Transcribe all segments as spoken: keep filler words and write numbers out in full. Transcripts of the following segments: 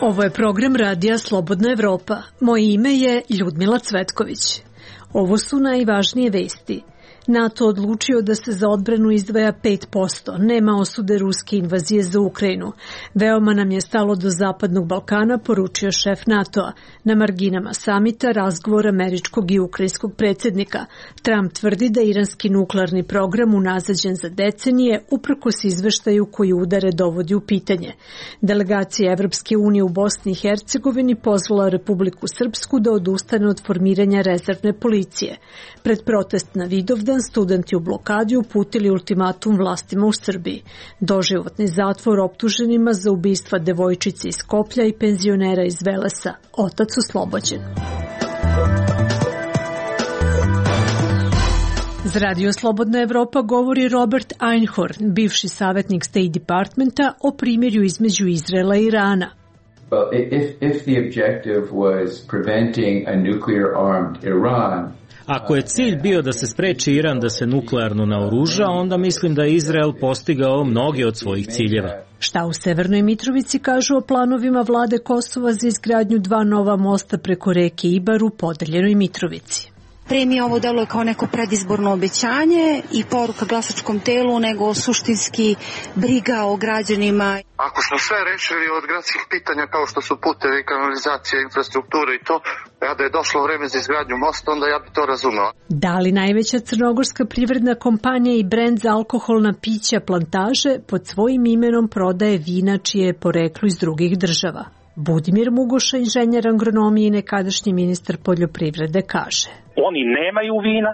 Ovo je program radija Slobodna Evropa. Moje ime je Ljudmila Cvetković. Ovo su najvažnije vesti. NATO odlučio da se za odbranu izdvaja pet posto. Nema osude ruske invazije za Ukrajinu. Veoma nam je stalo do Zapadnog Balkana, poručio šef NATO-a. Na marginama samita razgovor američkog i ukrajinskog predsjednika. Trump tvrdi da iranski nuklearni program unazađen za decenije uprkos izveštaju koji udare dovodi u pitanje. Delegacija Evropske unije u Bosni i Hercegovini pozvala Republiku Srpsku da odustane od formiranja rezervne policije. Pred protest na Vidovdan studenti u blokadi uputili ultimatum vlastima u Srbiji. Doživotni zatvor optuženima za ubistva devojčice iz Skoplja i penzionera iz Velesa. Otac oslobođen. Za Radio Slobodna Evropa govori Robert Einhorn, bivši savjetnik State Departmenta, o primirju između Izraela i Irana. Well, if, if the objective was preventing a nuclear-armed Iran, Ako je cilj bio da se spreči Iran da se nuklearno naoruža, onda mislim da je Izrael postigao mnoge od svojih ciljeva. Šta u Severnoj Mitrovici kažu o planovima vlade Kosova za izgradnju dva nova mosta preko reke Ibar u podeljenoj Mitrovici? Pre mi ovo deluje kao neko predizborno obećanje i poruka glasačkom telu, nego suštinski briga o građanima. Ako smo sve rešili od gradskih pitanja kao što su putevi, kanalizacija, infrastruktura i to, ja da je došlo vreme za izgradnju mosta, onda ja bi to razumeo. Da li najveća crnogorska privredna kompanija i brend za alkoholna pića Plantaže pod svojim imenom prodaje vina čije je poreklo iz drugih država? Budimir Mugoša, inženjer agronomije i nekadašnji ministar poljoprivrede, kaže: Oni nemaju vina,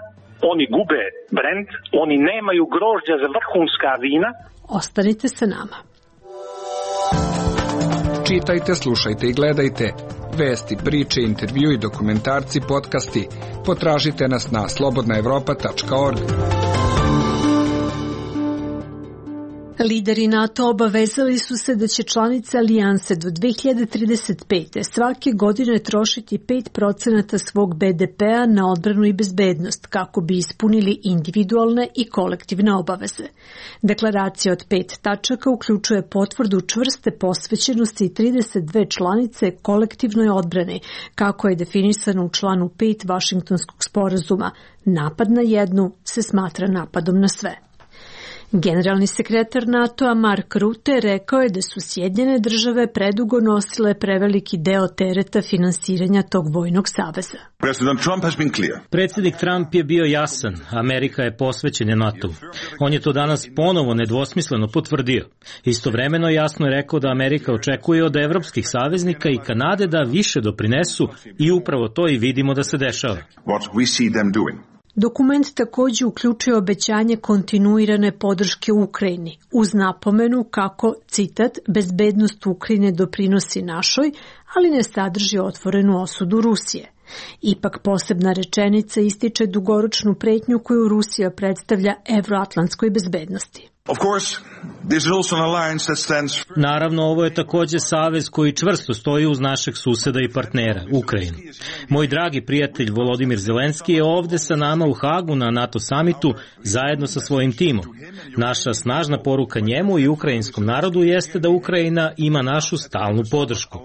oni gube brend, oni nemaju grožđa za vrhunska vina. Ostanite sa nama. Čitajte, slušajte i gledajte vesti, priče, intervju i dokumentarci, podcasti. Potražite nas na slobodna evropa tačka org. Lideri NATO obavezali su se da će članice alijanse do dve hiljade trideset pete. svake godine trošiti pet procenata svog be de pea na odbranu i bezbednost kako bi ispunili individualne i kolektivne obaveze. Deklaracija od pet tačaka uključuje potvrdu čvrste posvećenosti trideset dve članice kolektivnoj odbrani, kako je definisano u članu pet Vašingtonskog sporazuma. Napad na jednu se smatra napadom na sve. Generalni sekretar NATO-a Mark Rutte rekao je da su Sjedinjene države predugo nosile preveliki deo tereta finansiranja tog vojnog saveza. Predsjednik Trump je bio jasan, Amerika je posvećena NATO-u. On je to danas ponovo nedvosmisleno potvrdio. Istovremeno jasno je rekao da Amerika očekuje od evropskih saveznika i Kanade da više doprinesu i upravo to i vidimo da se dešava. Dokument također uključuje obećanje kontinuirane podrške Ukrajini, uz napomenu kako, citat, bezbednost Ukrajine doprinosi našoj, ali ne sadrži otvorenu osudu Rusije. Ipak posebna rečenica ističe dugoročnu pretnju koju Rusija predstavlja evroatlantskoj bezbednosti. Naravno, ovo je također savez koji čvrsto stoji uz našeg suseda i partnera, Ukrajinu. Moj dragi prijatelj Volodimir Zelenski je ovde sa nama u Hagu na NATO samitu zajedno sa svojim timom. Naša snažna poruka njemu i ukrajinskom narodu jeste da Ukrajina ima našu stalnu podršku.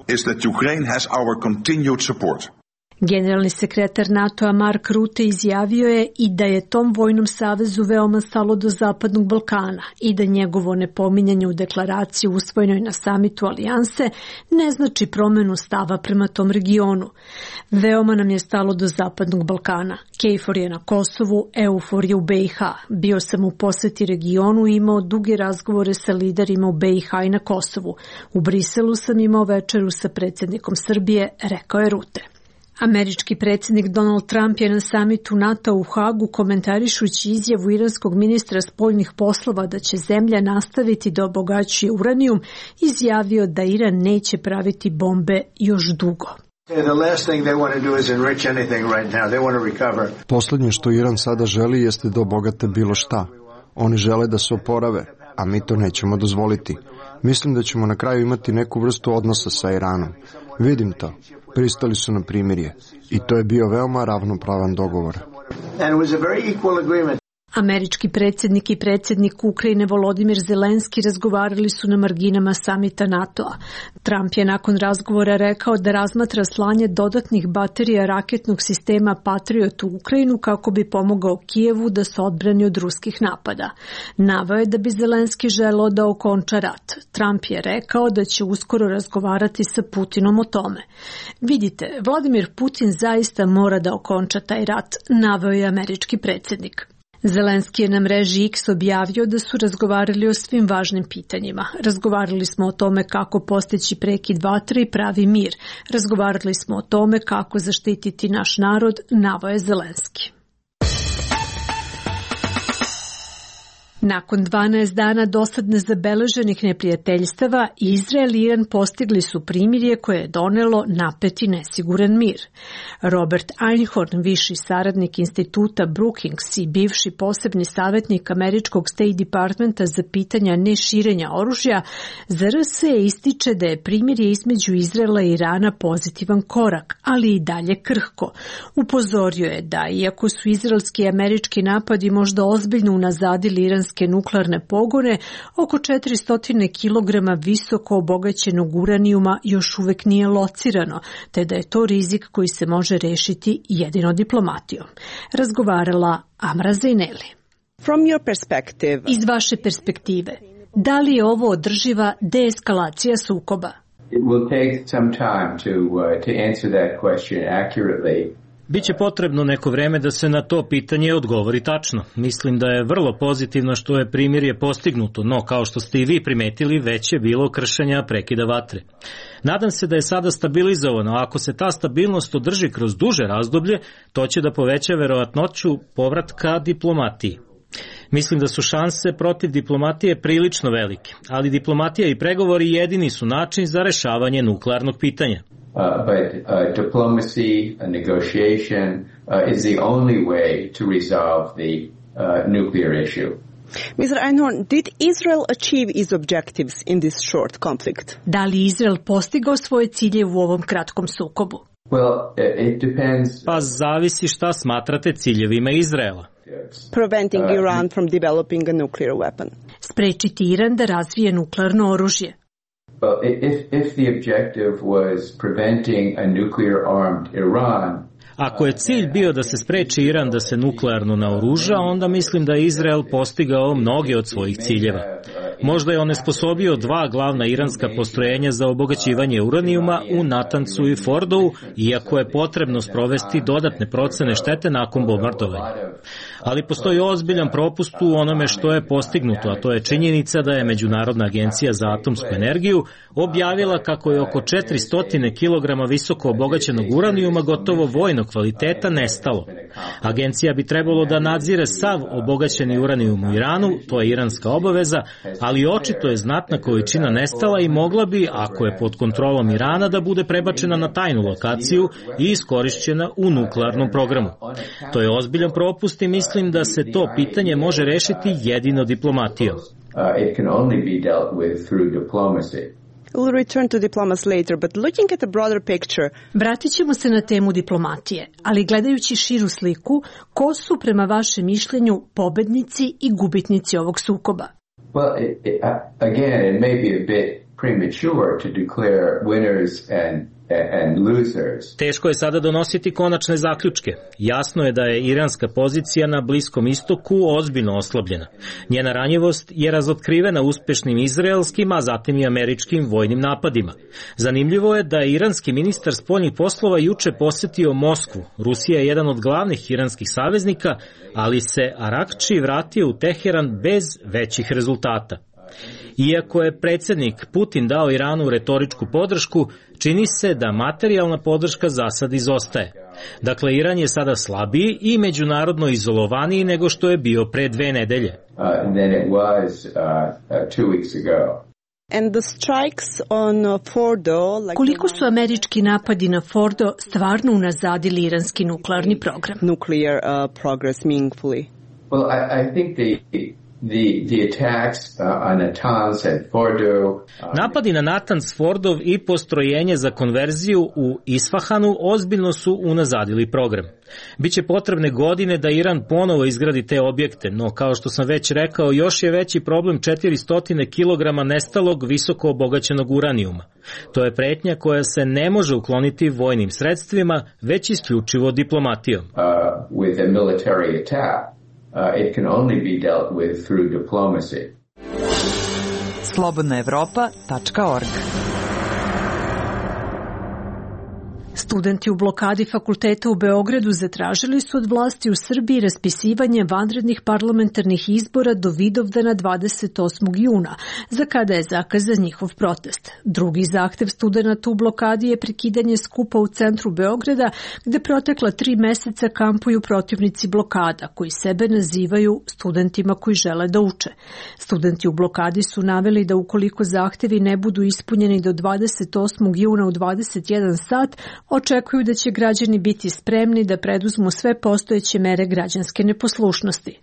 Generalni sekretar NATO-a Mark Rutte izjavio je i da je tom vojnom savezu veoma stalo do Zapadnog Balkana i da njegovo nepominjanje u deklaraciji usvojenoj na samitu alijanse ne znači promenu stava prema tom regionu. Veoma nam je stalo do Zapadnog Balkana. KFOR je na Kosovu, EUFOR je u be i ha. Bio sam u poseti regionu i imao duge razgovore sa liderima u be i ha i na Kosovu. U Briselu sam imao večeru sa predsjednikom Srbije, rekao je Rutte. Američki predsjednik Donald Trump je na samitu NATO u Hagu, komentarišući izjavu iranskog ministra spoljnih poslova da će zemlja nastaviti da obogaćuje uranijum, izjavio da Iran neće praviti bombe još dugo. Poslednje što Iran sada želi jeste da obogate bilo šta. Oni žele da se oporave, a mi to nećemo dozvoliti. Mislim da ćemo na kraju imati neku vrstu odnosa sa Iranom. Vidim to. Pristali su na primirje. I to je bio veoma ravnopravan dogovor. Američki predsjednik i predsjednik Ukrajine Volodimir Zelenski razgovarali su na marginama samita NATO-a. Trump je nakon razgovora rekao da razmatra slanje dodatnih baterija raketnog sistema Patriot u Ukrajinu kako bi pomogao Kijevu da se odbrani od ruskih napada. Naveo je da bi Zelenski želeo da okonča rat. Trump je rekao da će uskoro razgovarati sa Putinom o tome. Vidite, Vladimir Putin zaista mora da okonča taj rat, naveo je američki predsjednik. Zelenski je na mreži X objavio da su razgovarali o svim važnim pitanjima. Razgovarali smo o tome kako postići prekid vatre i pravi mir. Razgovarali smo o tome kako zaštititi naš narod, naveo je Zelenski. Nakon dvanaest dana dosad nezabeleženih neprijateljstava, Izrael i Iran postigli su primirje koje je donelo napet i nesiguran mir. Robert Einhorn, viši saradnik instituta Brookings i bivši posebni savjetnik američkog State Departmenta za pitanja neširenja oružja, za R S ističe da je primirje između Izraela i Irana pozitivan korak, ali i dalje krhko. Upozorio je da, iako su izraelski i američki napadi možda ozbiljno unazadili iranske nuklearne pogone, oko četiristo kilograma visoko obogaćenog uranijuma još uvek nije locirano, te da je to rizik koji se može rešiti jedino diplomatijom. Razgovarala Amra Zaineli. From your perspective, Iz vaše perspektive, da li je ovo održiva deeskalacija sukoba? It will take some time to uh, to answer that question accurately. Biće potrebno neko vreme da se na to pitanje odgovori tačno. Mislim da je vrlo pozitivno što je primirje postignuto, no kao što ste i vi primetili, već je bilo kršenja prekida vatre. Nadam se da je sada stabilizovano, a ako se ta stabilnost održi kroz duže razdoblje, to će da poveća verovatnoću povratka diplomatiji. Mislim da su šanse protiv diplomatije prilično velike, ali diplomatija i pregovori jedini su način za rešavanje nuklearnog pitanja. Uh, but uh, diplomacy, uh, negotiation uh, is the only way to resolve the uh, nuclear issue. mister Einhorn, did Israel achieve its objectives in this short conflict? Da li Izrael postigao svoje cilje u ovom kratkom sukobu? Well, it depends. Pa zavisi šta smatrate ciljevima Izraela. Preventing Iran from developing a nuclear weapon. Sprečiti Iran da razvije nuklearno oružje. Well, if, if the objective was preventing a nuclear-armed Iran, Ako je cilj bio da se spreči Iran da se nuklearno naoruža, onda mislim da je Izrael postigao mnoge od svojih ciljeva. Možda je onesposobio dva glavna iranska postrojenja za obogaćivanje uranijuma u Natancu i Fordovu, iako je potrebno sprovesti dodatne procene štete nakon bombardovanja. Ali postoji ozbiljan propust u onome što je postignuto, a to je činjenica da je Međunarodna agencija za atomsku energiju objavila kako je oko četiristo kilograma visoko obogaćenog uranijuma gotovo vojnog kvaliteta nestalo. Agencija bi trebalo da nadzire sav obogaćeni uranijum u Iranu, to je iranska obaveza, ali očito je znatna količina nestala i mogla bi, ako je pod kontrolom Irana, da bude prebačena na tajnu lokaciju i iskorišćena u nuklearnom programu. To je ozbiljan propust i mislim da se to pitanje može rešiti jedino diplomatijom. We'll return to diplomacy later, but looking at the broader picture. Vratit ćemo se na temu diplomatije, ali gledajući širu sliku, ko su prema vašem mišljenju pobednici i gubitnici ovog sukoba? Well, it, it, again, it may be a bit premature to declare winners and and losers. Teško je sada donositi konačne zaključke. Jasno je da je iranska pozicija na Bliskom istoku ozbiljno oslabljena. Njena ranjivost je razotkrivena uspešnim izraelskim, a zatim i američkim vojnim napadima. Zanimljivo je da je iranski ministar spoljnih poslova juče posetio Moskvu. Rusija je jedan od glavnih iranskih saveznika, ali se Arakči vratio u Teheran bez većih rezultata. Iako je predsjednik Putin dao Iranu retoričku podršku, čini se da materijalna podrška za sad izostaje. Dakle, Iran je sada slabiji i međunarodno izolovaniji nego što je bio pre dve nedelje. Uh, than it was uh, uh, two weeks ago. And the strikes on Fordo, like Koliko su američki napadi na Fordo stvarno unazadili iranski nuklearni program? Nuclear uh, progress meaningfully. Well, I, I think they The, the attacks uh, on Natanz and Fordo. Uh, Napadi na Natanz, Fordov i postrojenje za konverziju u Isfahanu ozbiljno su unazadili program. Biće potrebne godine da Iran ponovo izgradi te objekte, no kao što sam već rekao, još je veći problem četiristo kilograma nestalog visoko obogaćenog uranijuma. To je pretnja koja se ne može ukloniti vojnim sredstvima, već isključivo diplomatijom. Uh, with a military attack. Uh, it can only be dealt with through diplomacy. slobodna evropa tačka org Studenti u blokadi fakulteta u Beogradu zatražili su od vlasti u Srbiji raspisivanje vanrednih parlamentarnih izbora do Vidovdana dvadeset osmog juna, za kada je zakazan njihov protest. Drugi zahtev studenata u blokadi je prekidanje skupa u centru Beograda, gde protekla tri meseca kampuju protivnici blokada, koji sebe nazivaju studentima koji žele da uče. Studenti u blokadi su naveli da ukoliko zahtevi ne budu ispunjeni do dvadeset osmog juna u dvadeset jedan sat, očekuju da će građani biti spremni da preduzmu sve postojeće mere građanske neposlušnosti.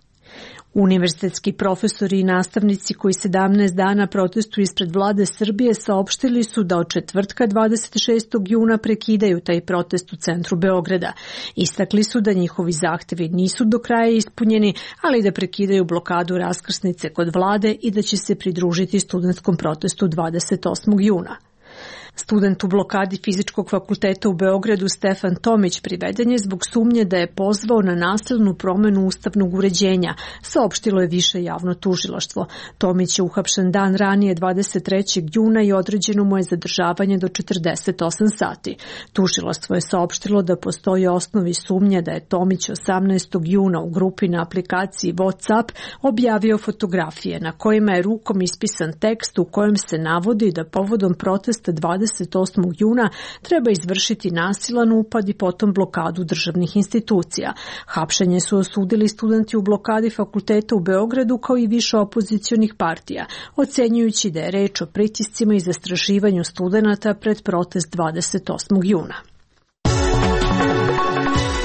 Univerzitetski profesori i nastavnici koji sedamnaest dana protestuju ispred vlade Srbije saopštili su da od četvrtka dvadeset šestog juna prekidaju taj protest u centru Beograda. Istakli su da njihovi zahtevi nisu do kraja ispunjeni, ali da prekidaju blokadu raskrsnice kod vlade i da će se pridružiti studentskom protestu dvadeset osmog juna. Student u blokadi Fizičkog fakulteta u Beogradu Stefan Tomić priveden je zbog sumnje da je pozvao na nasilnu promenu ustavnog uređenja, saopštilo je više javno tužilaštvo. Tomić je uhapšen dan ranije dvadeset trećeg juna i određeno mu je zadržavanje do četrdeset osam sati. Tužilaštvo je saopštilo da postoji osnovi sumnje da je Tomić osamnaestog juna u grupi na aplikaciji WhatsApp objavio fotografije na kojima je rukom ispisan tekst u kojem se navodi da povodom protesta dvadeset osmog juna treba izvršiti nasilan upad i potom blokadu državnih institucija. Hapšenje su osudili studenti u blokadi fakulteta u Beogradu kao i više opozicionih partija, ocenjujući da je reč o pritiscima i zastrašivanju studenata pred protest dvadeset osmog juna.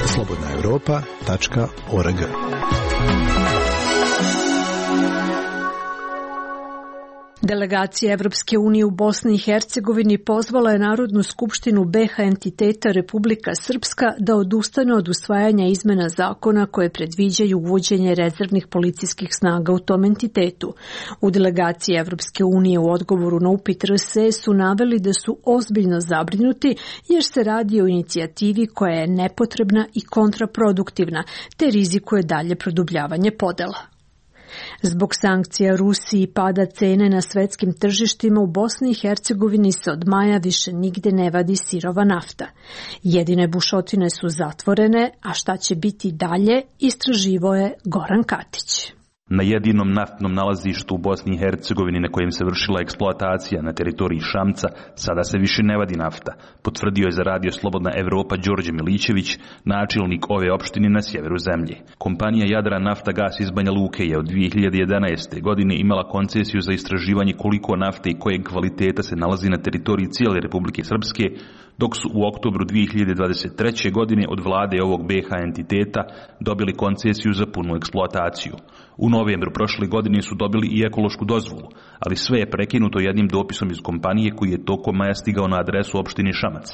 slobodna evropa tačka org Delegacija Evropske unije u Bosni i Hercegovini pozvala je Narodnu skupštinu B H entiteta Republika Srpska da odustane od usvajanja izmena zakona koje predviđaju uvođenje rezervnih policijskih snaga u tom entitetu. U delegaciji Evropske unije u odgovoru na upit R S E su naveli da su ozbiljno zabrinuti jer se radi o inicijativi koja je nepotrebna i kontraproduktivna, te rizikuje dalje produbljavanje podela. Zbog sankcija Rusiji i pada cene na svetskim tržištima u Bosni i Hercegovini se od maja više nigde ne vadi sirova nafta. Jedine bušotine su zatvorene, a šta će biti dalje, istraživao je Goran Katić. Na jedinom naftnom nalazištu u Bosni i Hercegovini na kojem se vršila eksploatacija na teritoriji Šamca sada se više ne vadi nafta, potvrdio je za radio Slobodna Evropa Đorđe Milićević, načelnik ove opštine na sjeveru zemlje. Kompanija Jadran Nafta Gas iz Banja Luke je od dvije hiljade jedanaeste. godine imala koncesiju za istraživanje koliko nafte i kojeg kvaliteta se nalazi na teritoriji cijele Republike Srpske, dok su u oktobru dvije hiljade dvadeset treće. godine od vlade ovog B H entiteta dobili koncesiju za punu eksploataciju. U novembru prošle godine su dobili i ekološku dozvolu, ali sve je prekinuto jednim dopisom iz kompanije koji je tokom maja stigao na adresu opštine Šamac,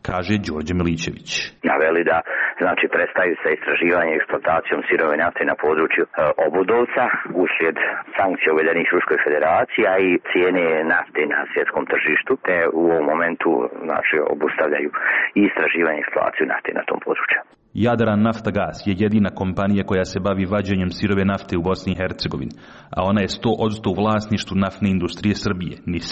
kaže Đorđe Milićević. Naveli da znači prestaju sa istraživanjem i eksploatacijom sirove nafte na području e, Obudovca uslijed sankcija uvedenih Ruskoj federaciji, a i cijene nafte na svjetskom tržištu, te u ovom momentu znači obustavljaju i istraživanje i eksploataciju nafte na tom području. Jadran Nafta Gas je jedina kompanija koja se bavi vađenjem sirove nafte u Bosni i Hercegovini, a ona je sto posto u vlasništvu naftne industrije Srbije, N I S.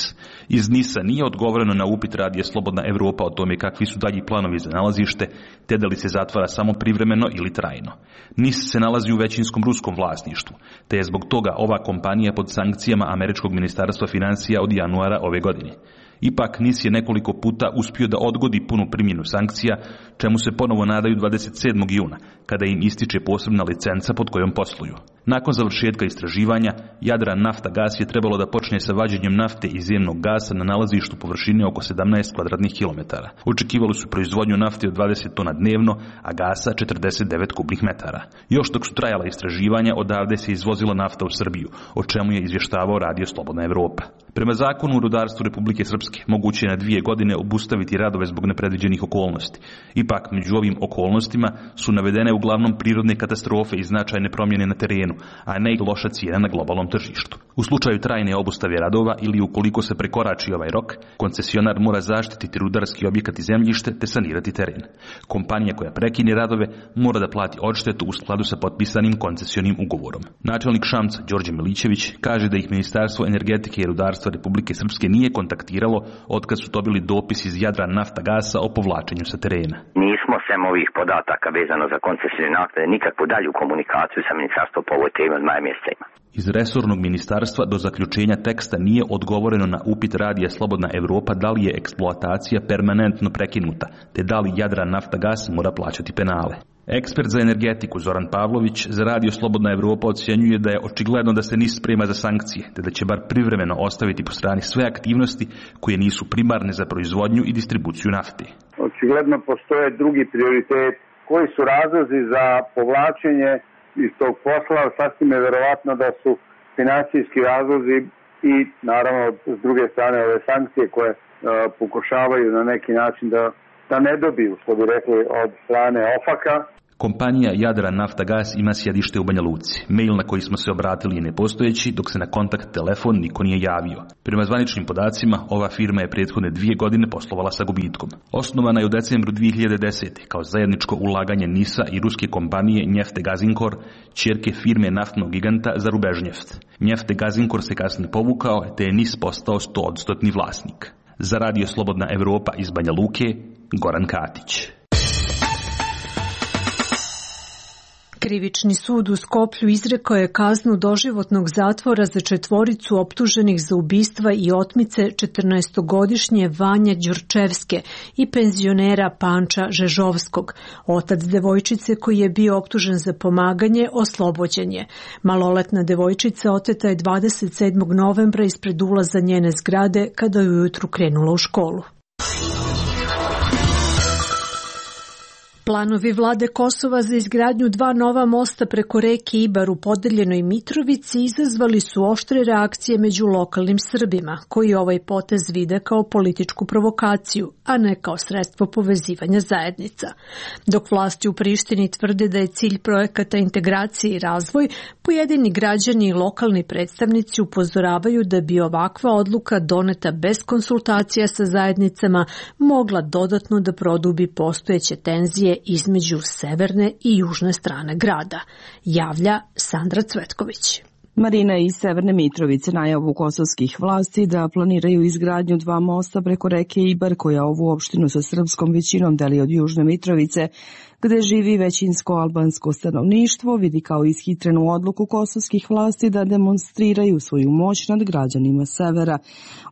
Iz N I S-a nije odgovoreno na upit radija Slobodna Evropa o tome kakvi su dalji planovi za nalazište, te da li se zatvara samo privremeno ili trajno. N I S se nalazi u većinskom ruskom vlasništvu, te je zbog toga ova kompanija pod sankcijama Američkog ministarstva financija od januara ove godine. Ipak N I S je nekoliko puta uspio da odgodi punu primjenu sankcija, čemu se ponovo nadaju dvadeset sedmog juna, kada im ističe posebna licenca pod kojom posluju. Nakon završetka istraživanja, Jadran nafta gas je trebalo da počne sa vađenjem nafte i zemnog gasa na nalazištu površine oko sedamnaest kvadratnih kilometara. Očekivali su proizvodnju nafte od dvadeset tona dnevno, a gasa četrdeset devet kubnih metara. Još dok su trajala istraživanja, odavde se izvozila nafta u Srbiju, o čemu je izvještavao Radio Slobodna Evropa. Prema zakonu o rudarstvu Republike Srpske, moguće je na dvije godine obustaviti radove zbog nepredviđenih okolnosti. Ipak, među ovim okolnostima su navedene uglavnom prirodne katastrofe i značajne promjene na terenu, a ne i loša cijena na globalnom tržištu. U slučaju trajne obustave radova ili ukoliko se prekorači ovaj rok, koncesionar mora zaštititi rudarski objekat i zemljište te sanirati teren. Kompanija koja prekine radove mora da plati odštetu u skladu sa potpisanim koncesionim ugovorom. Načelnik Šamca Đorđe Milićević kaže da ih Ministarstvo energetike i rudarstva Republike Srpske nije kontaktiralo otkad su dobili dopis iz Jadran nafta gasa o povlačenju sa terena. Nismo sem ovih podataka vezano za koncesijne naknade nikakvu dalju komunikaciju sa ministarstvom po ovoj temi od maja mjeseca ima. Iz resornog ministarstva do zaključenja teksta nije odgovoreno na upit Radija Slobodna Evropa da li je eksploatacija permanentno prekinuta, te da li Jadran nafta gas mora plaćati penale. Ekspert za energetiku Zoran Pavlović za Radio Slobodna Evropa ocjenjuje da je očigledno da se N I S sprema za sankcije, te da će bar privremeno ostaviti po strani sve aktivnosti koje nisu primarne za proizvodnju i distribuciju nafte. Očigledno postoje drugi prioritet. Koji su razlozi za povlačenje iz tog posla? Sasvim je verovatno da su finansijski razlozi i naravno s druge strane ove sankcije koje uh, pokušavaju na neki način da da ne dobiju, što bi rekli, od strane OFAK-a. Kompanija Jadran nafta gas ima sjedište u Banja Luci. Mail na koji smo se obratili je nepostojeći, dok se na kontakt telefon niko nije javio. Prema zvaničnim podacima, ova firma je prethodne dvije godine poslovala sa gubitkom. Osnovana je u decembru dvije hiljade desete. kao zajedničko ulaganje N I S-a i ruske kompanije Njefte Gazinkor, ćerke firme naftnog giganta za Rubežnjeft. Njefte Gazinkor se kasnije povukao, te je N I S postao sto posto vlasnik. Za Radio Slobodna Evropa iz Banja Luke, Goran Katić. Krivični sud u Skoplju izrekao je kaznu doživotnog zatvora za četvoricu optuženih za ubistva i otmice četrnaestogodišnje Vanja Đurčevske i penzionera Panča Žežovskog. Otac devojčice koji je bio optužen za pomaganje oslobođen je. Maloletna devojčica oteta je dvadeset sedmog novembra ispred ulaza njene zgrade kada je ujutru krenula u školu. Planovi vlade Kosova za izgradnju dva nova mosta preko reke Ibar u podeljenoj Mitrovici izazvali su oštre reakcije među lokalnim Srbima, koji ovaj potez vide kao političku provokaciju, a ne kao sredstvo povezivanja zajednica. Dok vlasti u Prištini tvrde da je cilj projekata integracije i razvoj, pojedini građani i lokalni predstavnici upozoravaju da bi ovakva odluka doneta bez konsultacija sa zajednicama mogla dodatno da produbi postojeće tenzije između severne i južne strane grada, javlja Sandra Cvetković. Marina iz Severne Mitrovice najavu kosovskih vlasti da planiraju izgradnju dva mosta preko reke Ibar koja ovu opštinu sa srpskom većinom deli od Južne Mitrovice, gde živi većinsko albansko stanovništvo, vidi kao ishitrenu odluku kosovskih vlasti da demonstriraju svoju moć nad građanima severa.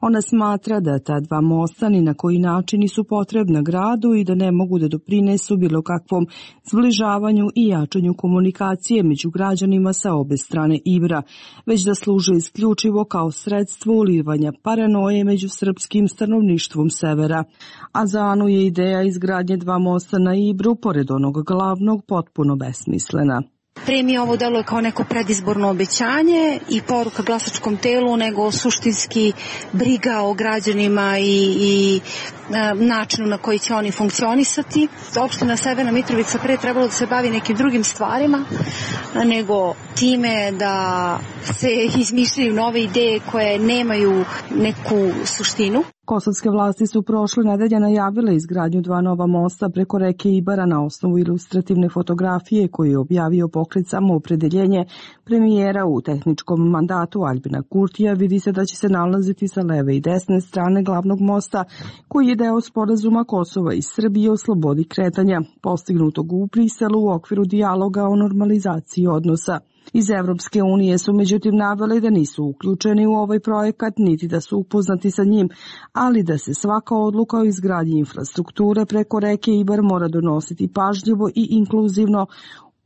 Ona smatra da ta dva mosta ni na koji način nisu potrebna gradu i da ne mogu da doprinesu bilo kakvom zbližavanju i jačanju komunikacije među građanima sa obe strane Ibra, već da služe isključivo kao sredstvo ulivanja paranoje među srpskim stanovništvom severa. A za Anu je ideja izgradnje dva mosta na Ibru, pored onog glavnog, potpuno besmislena. Prije mi ovo deluje kao neko predizborno obećanje i poruka glasačkom telu, nego suštinski briga o građanima i, i e, načinu na koji će oni funkcionisati. Opština Severna Mitrovica pre trebalo da se bavi nekim drugim stvarima, nego time da se izmišljaju nove ideje koje nemaju neku suštinu. Kosovske vlasti su prošle nedelje najavile izgradnju dva nova mosta preko reke Ibara na osnovu ilustrativne fotografije koju je objavio pokret Samoopredeljenje premijera u tehničkom mandatu Aljbina Kurtija. Vidi se da će se nalaziti sa leve i desne strane glavnog mosta koji je deo sporazuma Kosova i Srbije o slobodi kretanja, postignutog u Briselu u okviru dijaloga o normalizaciji odnosa. Iz Evropske unije su međutim naveli da nisu uključeni u ovaj projekat, niti da su upoznati sa njim, ali da se svaka odluka o izgradnji infrastrukture preko reke Ibar mora donositi pažljivo i inkluzivno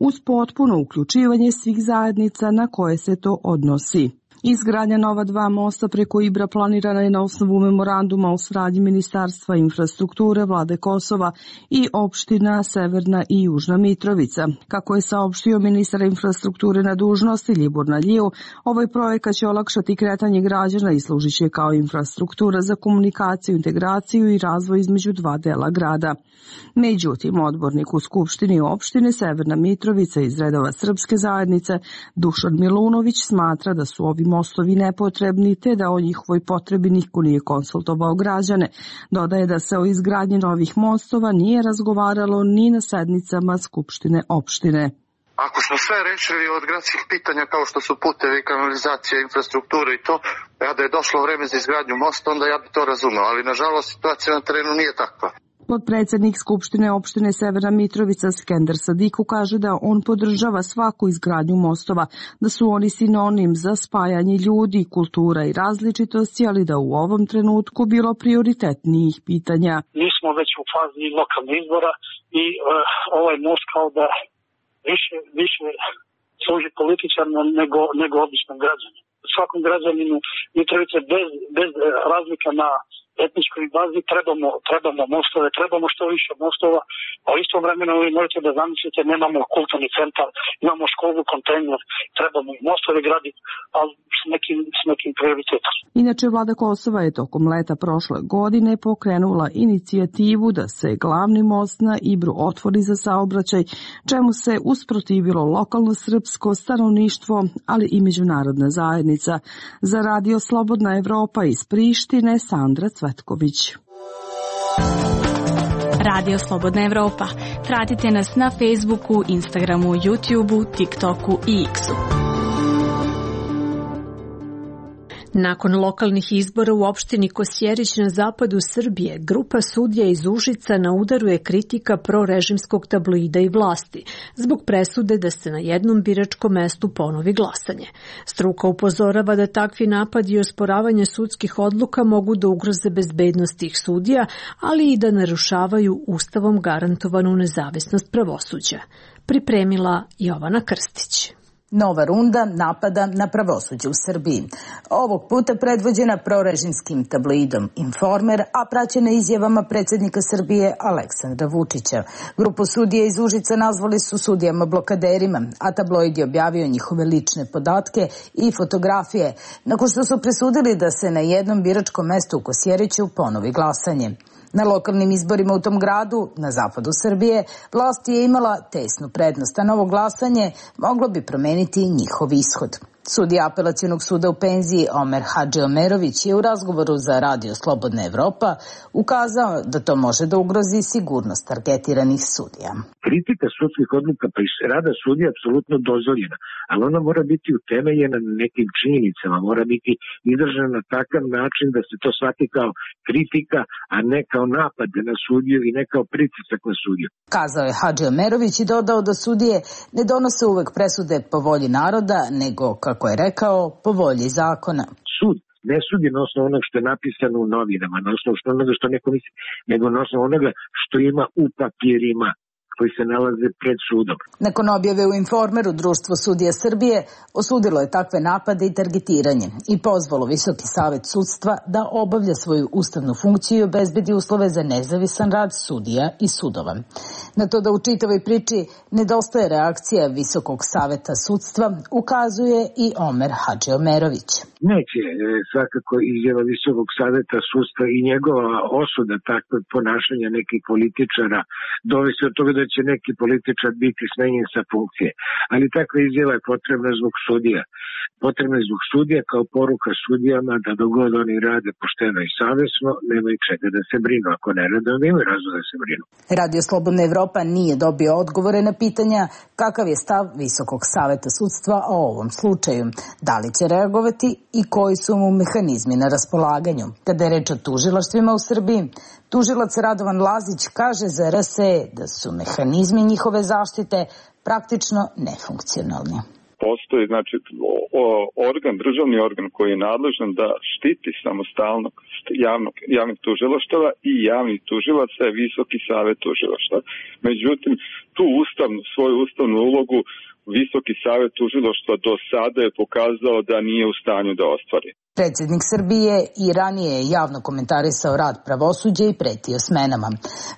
uz potpuno uključivanje svih zajednica na koje se to odnosi. Izgradnja nova dva mosta preko Ibra planirana je na osnovu memoranduma o saradnji Ministarstva infrastrukture, Vlade Kosova i opština Severna i Južna Mitrovica. Kako je saopštio ministar infrastrukture na dužnosti Ljibor Naljiju, ovaj projekat će olakšati kretanje građana i služit će kao infrastruktura za komunikaciju, integraciju i razvoj između dva dela grada. Međutim, odbornik u Skupštini opštine Severna Mitrovica iz redova srpske zajednice Dušan Milunović smatra da su ovi mostovi nepotrebni te da o njihovoj potrebi niko nije konsultovao građane. Dodaje da se o izgradnji novih mostova nije razgovaralo ni na sednicama Skupštine opštine. Ako smo sve rešili od gradskih pitanja kao što su putevi, kanalizacija, infrastruktura i to, ja da je došlo vreme za izgradnju mosta, onda ja bi to razumeo, ali nažalost situacija na terenu nije takva. Podpredsednik Skupštine opštine Severna Mitrovica Skender Sadiku kaže da on podržava svaku izgradnju mostova, da su oni sinonim za spajanje ljudi, kultura i različitosti, ali da u ovom trenutku bilo prioritetnijih pitanja. Mi smo već u fazi lokalnih izbora i uh, ovaj most kao da više, više služi političarno nego, nego običnom građaninu. Svakom građaninu Mitrovice bez, bez razlika na etničkoj bazi trebamo, trebamo mostove, trebamo što više mostova, a u istom vremenu vi možete da zamislite, nemamo kulturni centar, imamo školu, kontejner, trebamo i mostove graditi, ali s nekim, s nekim prioritetom. Inače, Vlada Kosova je tokom leta prošle godine pokrenula inicijativu da se glavni most na Ibru otvori za saobraćaj, čemu se usprotivilo lokalno srpsko stanovništvo, ali i međunarodna zajednica. Za Radio Slobodna Evropa iz Prištine, Sandra Cvetković. Radio Slobodna Evropa. Pratite nas na Facebooku, Instagramu, YouTubeu, TikToku i X-u. Nakon lokalnih izbora u opštini Kosjerić na zapadu Srbije, grupa sudija iz Užica na udaru je kritika prorežimskog tabloida i vlasti, zbog presude da se na jednom biračkom mestu ponovi glasanje. Struka upozorava da takvi napadi i osporavanje sudskih odluka mogu da ugroze bezbednost tih sudija, ali i da narušavaju ustavom garantovanu nezavisnost pravosuđa. Pripremila Jovana Krstić. Nova runda napada na pravosuđe u Srbiji. Ovog puta predvođena prorežimskim tabloidom Informer, a praćena izjavama predsjednika Srbije Aleksandra Vučića. Grupu sudija iz Užica nazvali su sudijama blokaderima, a tabloid je objavio njihove lične podatke i fotografije, nakon što su presudili da se na jednom biračkom mestu u Kosjeriću ponovi glasanje. Na lokalnim izborima u tom gradu, na zapadu Srbije, vlast je imala tesnu prednost, a novo glasanje moglo bi promeniti njihov ishod. Sudija apelacionog suda u penziji Omer Hadžiomerović je u razgovoru za Radio Slobodna Evropa ukazao da to može da ugrozi sigurnost targetiranih sudija. Kritika sudskih odluka pa i rada sudija je apsolutno dozvoljena, ali ona mora biti utemeljena na nekim činjenicama, mora biti izražena na takav način da se to shvati kao kritika, a ne kao napad na sudiju i ne kao pritisak na sudiju. Kazao je Hadžiomerović i dodao da sudije ne donose uvek presude po volji naroda, nego, kako je rekao, po volji zakona. Sud ne sudi na osnovu onoga što je napisano u novinama, na osnovu onoga što neko misli, nego na osnovu onoga što ima u papirima koji se nalaze pred sudom. Nakon objave u Informeru, Društvo sudija Srbije osudilo je takve napade i targetiranje i pozvalo Visoki savet sudstva da obavlja svoju ustavnu funkciju i obezbedi uslove za nezavisan rad sudija i sudova. Na to da u čitavoj priči nedostaje reakcija Visokog saveta sudstva ukazuje i Omer Hadžiomerović. Neće svakako izjava Visokog saveta sudstva i njegova osuda takvog ponašanja nekih političara dovesti od toga da će neki političar biti smenjen sa funkcije. Ali takva izjava je potrebna zbog sudija. Potrebna je zbog sudija kao poruka sudijama da dogod oni rade pošteno i savjesno, nemaju čega da se brinu. Ako ne rade, onda imaju razlog da se brinu. Radio Slobodna Evropa nije dobio odgovore na pitanja kakav je stav Visokog saveta sudstva o ovom slučaju. Da li će reagovati i koji su mu mehanizmi na raspolaganju. Kada je reč o tužilaštvima u Srbiji, tužilac Radovan Lazić kaže za R S E da su mehanizmi njihove zaštite praktično nefunkcionalni. postoji znači organ, državni organ koji je nadležan da štiti samostalnog javnog, javnih tužilaštava i javnih tužilaca je Visoki savet tužilaštva. Međutim, tu ustavnu, svoju ustavnu ulogu Visoki savet tužilaštva do sada je pokazao da nije u stanju da ostvari. Predsjednik Srbije i ranije je javno komentarisao rad pravosuđa i pretio smenama.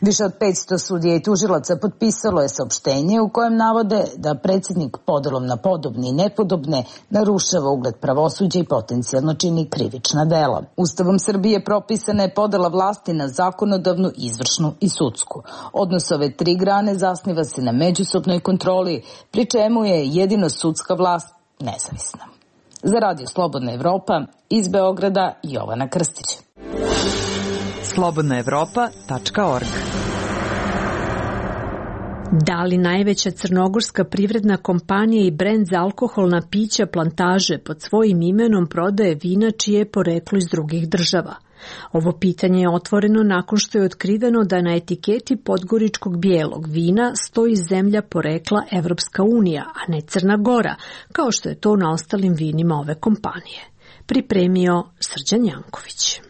Više od petsto sudija i tužilaca potpisalo je saopštenje u kojem navode da predsjednik podelom na podobne i nepodobne narušava ugled pravosuđa i potencijalno čini krivična dela. Ustavom Srbije propisana je podela vlasti na zakonodavnu, izvršnu i sudsku. Odnos ove tri grane zasniva se na međusobnoj kontroli, pri čemu je jedino sudska vlast nezavisna. Za Radio Slobodna Evropa, iz Beograda, Jovana Krstić. slobodna evropa tačka org. Da li najveća crnogorska privredna kompanija i brend za alkoholna pića Plantaže pod svojim imenom prodaje vina čije je poreklo iz drugih država? Ovo pitanje je otvoreno nakon što je otkriveno da na etiketi podgoričkog bijelog vina stoji zemlja porekla Evropska unija, a ne Crna Gora, kao što je to na ostalim vinima ove kompanije. Pripremio Srđan Janković.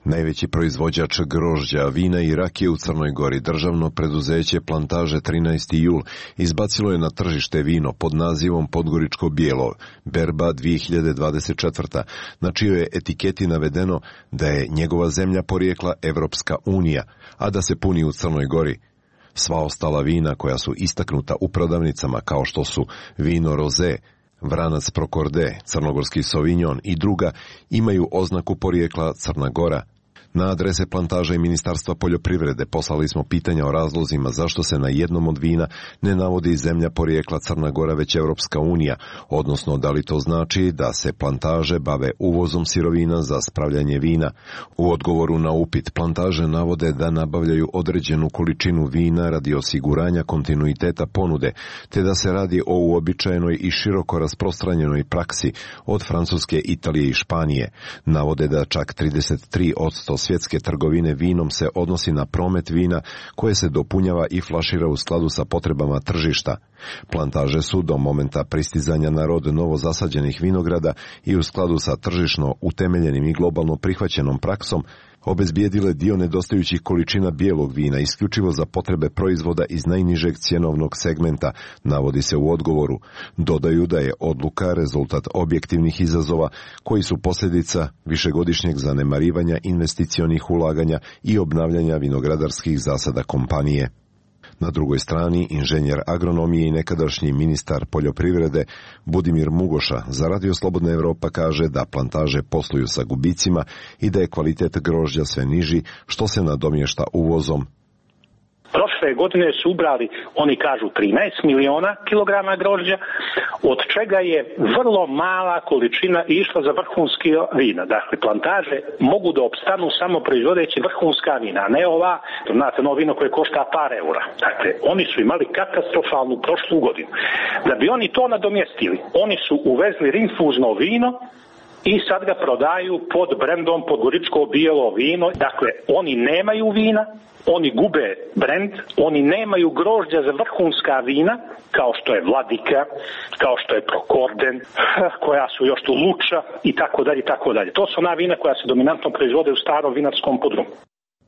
Najveći proizvođač grožđa, vina i rakije u Crnoj Gori, državno preduzeće Plantaže trinaesti jul, izbacilo je na tržište vino pod nazivom Podgoričko bijelo, berba dvije hiljade dvadeset četvrta, na čijoj je etiketi navedeno da je njegova zemlja porijekla Evropska unija, a da se puni u Crnoj Gori. Sva ostala vina koja su istaknuta u prodavnicama kao što su vino roze, vranac prokorde, crnogorski sovinjon i druga imaju oznaku porijekla Crna Gora. Na adrese Plantaže i Ministarstva poljoprivrede poslali smo pitanja o razlozima zašto se na jednom od vina ne navodi zemlja porijekla Crna Gora već Evropska unija, odnosno da li to znači da se Plantaže bave uvozom sirovina za spravljanje vina. U odgovoru na upit Plantaže navode da nabavljaju određenu količinu vina radi osiguranja kontinuiteta ponude, te da se radi o uobičajenoj i široko rasprostranjenoj praksi od Francuske, Italije i Španije. Navode da čak trideset tri posto svjetske trgovine vinom se odnosi na promet vina koje se dopunjava i flašira u skladu sa potrebama tržišta. Plantaže su do momenta pristizanja na rod novozasađenih vinograda i u skladu sa tržišno utemeljenim i globalno prihvaćenom praksom obezbijedile dio nedostajućih količina bijelog vina isključivo za potrebe proizvoda iz najnižeg cjenovnog segmenta, navodi se u odgovoru. Dodaju da je odluka rezultat objektivnih izazova koji su posljedica višegodišnjeg zanemarivanja investicionih ulaganja i obnavljanja vinogradarskih zasada kompanije. Na drugoj strani, inženjer agronomije i nekadašnji ministar poljoprivrede Budimir Mugoša za Radio Slobodna Evropa kaže da Plantaže posluju sa gubicima i da je kvalitet grožđa sve niži, što se nadomješta uvozom. Prošle godine su ubrali, oni kažu, trinaest miliona kilograma grožđa, od čega je vrlo mala količina išla za vrhunski vina. Dakle, Plantaže mogu da opstanu samo proizvodeći vrhunska vina, a ne ova, znate, novo vino koje košta par eura. Dakle, oni su imali katastrofalnu prošlu godinu. Da bi oni to nadomjestili, oni su uvezli rinfuzno vino i sad ga prodaju pod brendom Podgoričko bijelo vino. Dakle, oni nemaju vina, oni gube brend, oni nemaju grožđa za vrhunska vina, kao što je Vladika, kao što je Prokorden, koja su još tu Luča i tako dalje i tako dalje. To su ona vina koja se dominantno proizvode u starom vinarskom podrumu.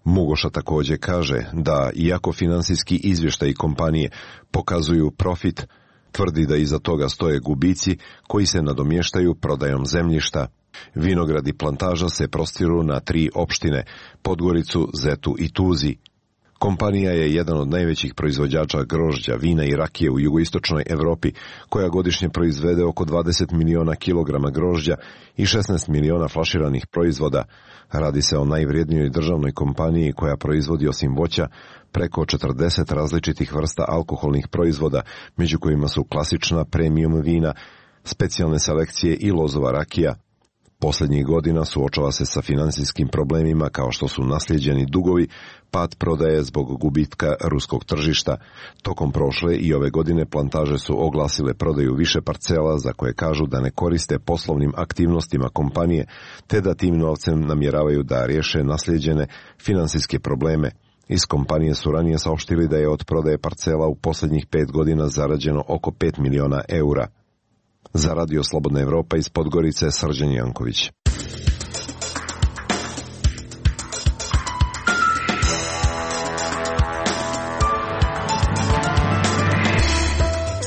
Mugoša također kaže da iako finansijski izvještaji kompanije pokazuju profit, tvrdi da iza toga stoje gubici koji se nadomještaju prodajom zemljišta. Vinogradi Plantaža se prostiru na tri opštine, Podgoricu, Zetu i Tuzi. Kompanija je jedan od najvećih proizvođača grožđa, vina i rakije u jugoistočnoj Evropi, koja godišnje proizvede oko dvadeset miliona kilograma grožđa i šesnaest miliona flaširanih proizvoda. Radi se o najvrijednijoj državnoj kompaniji koja proizvodi osim voća preko četrdeset različitih vrsta alkoholnih proizvoda, među kojima su klasična premium vina, specijalne selekcije i lozova rakija. Posljednjih godina suočava se sa finansijskim problemima kao što su naslijeđeni dugovi, pad prodaje zbog gubitka ruskog tržišta. Tokom prošle i ove godine Plantaže su oglasile prodaju više parcela za koje kažu da ne koriste poslovnim aktivnostima kompanije, te da tim novcem namjeravaju da riješe naslijeđene finansijske probleme. Iz kompanije su ranije saopštili da je od prodaje parcela u posljednjih pet godina zarađeno oko pet miliona eura. Za Radio Slobodna Evropa iz Podgorice, Srđan Janković.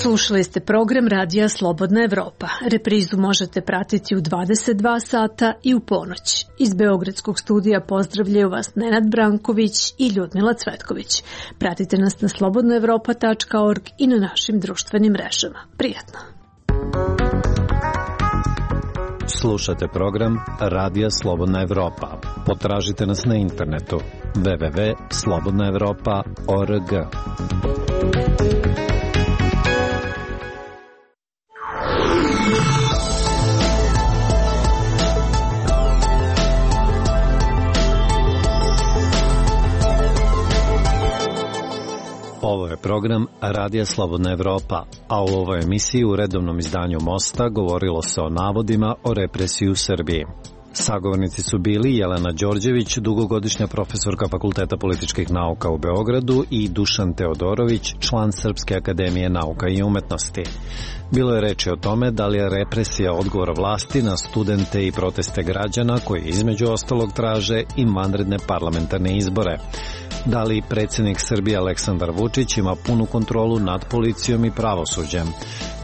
Slušali ste program Radija Slobodna Evropa. Reprizu možete pratiti u dvadeset dva sata i u ponoć. Iz Beogradskog studija pozdravljaju vas Nenad Branković i Ljudmila Cvetković. Pratite nas na slobodna evropa tačka org i na našim društvenim mrežama. Prijatno! Slušate program Radija Slobodna Evropa. Potražite nas na internetu w w w tačka slobodna evropa tačka org. Ovo je program Radija Slobodna Evropa, a u ovoj emisiji u redovnom izdanju Mosta govorilo se o navodima o represiji u Srbiji. Sagovornici su bili Jelena Đorđević, dugogodišnja profesorka Fakulteta političkih nauka u Beogradu, i Dušan Teodorović, član Srpske akademije nauka i umetnosti. Bilo je reči o tome da li je represija odgovor vlasti na studente i proteste građana koji između ostalog traže i vanredne parlamentarne izbore. Da li predsjednik Srbije Aleksandar Vučić ima punu kontrolu nad policijom i pravosuđem?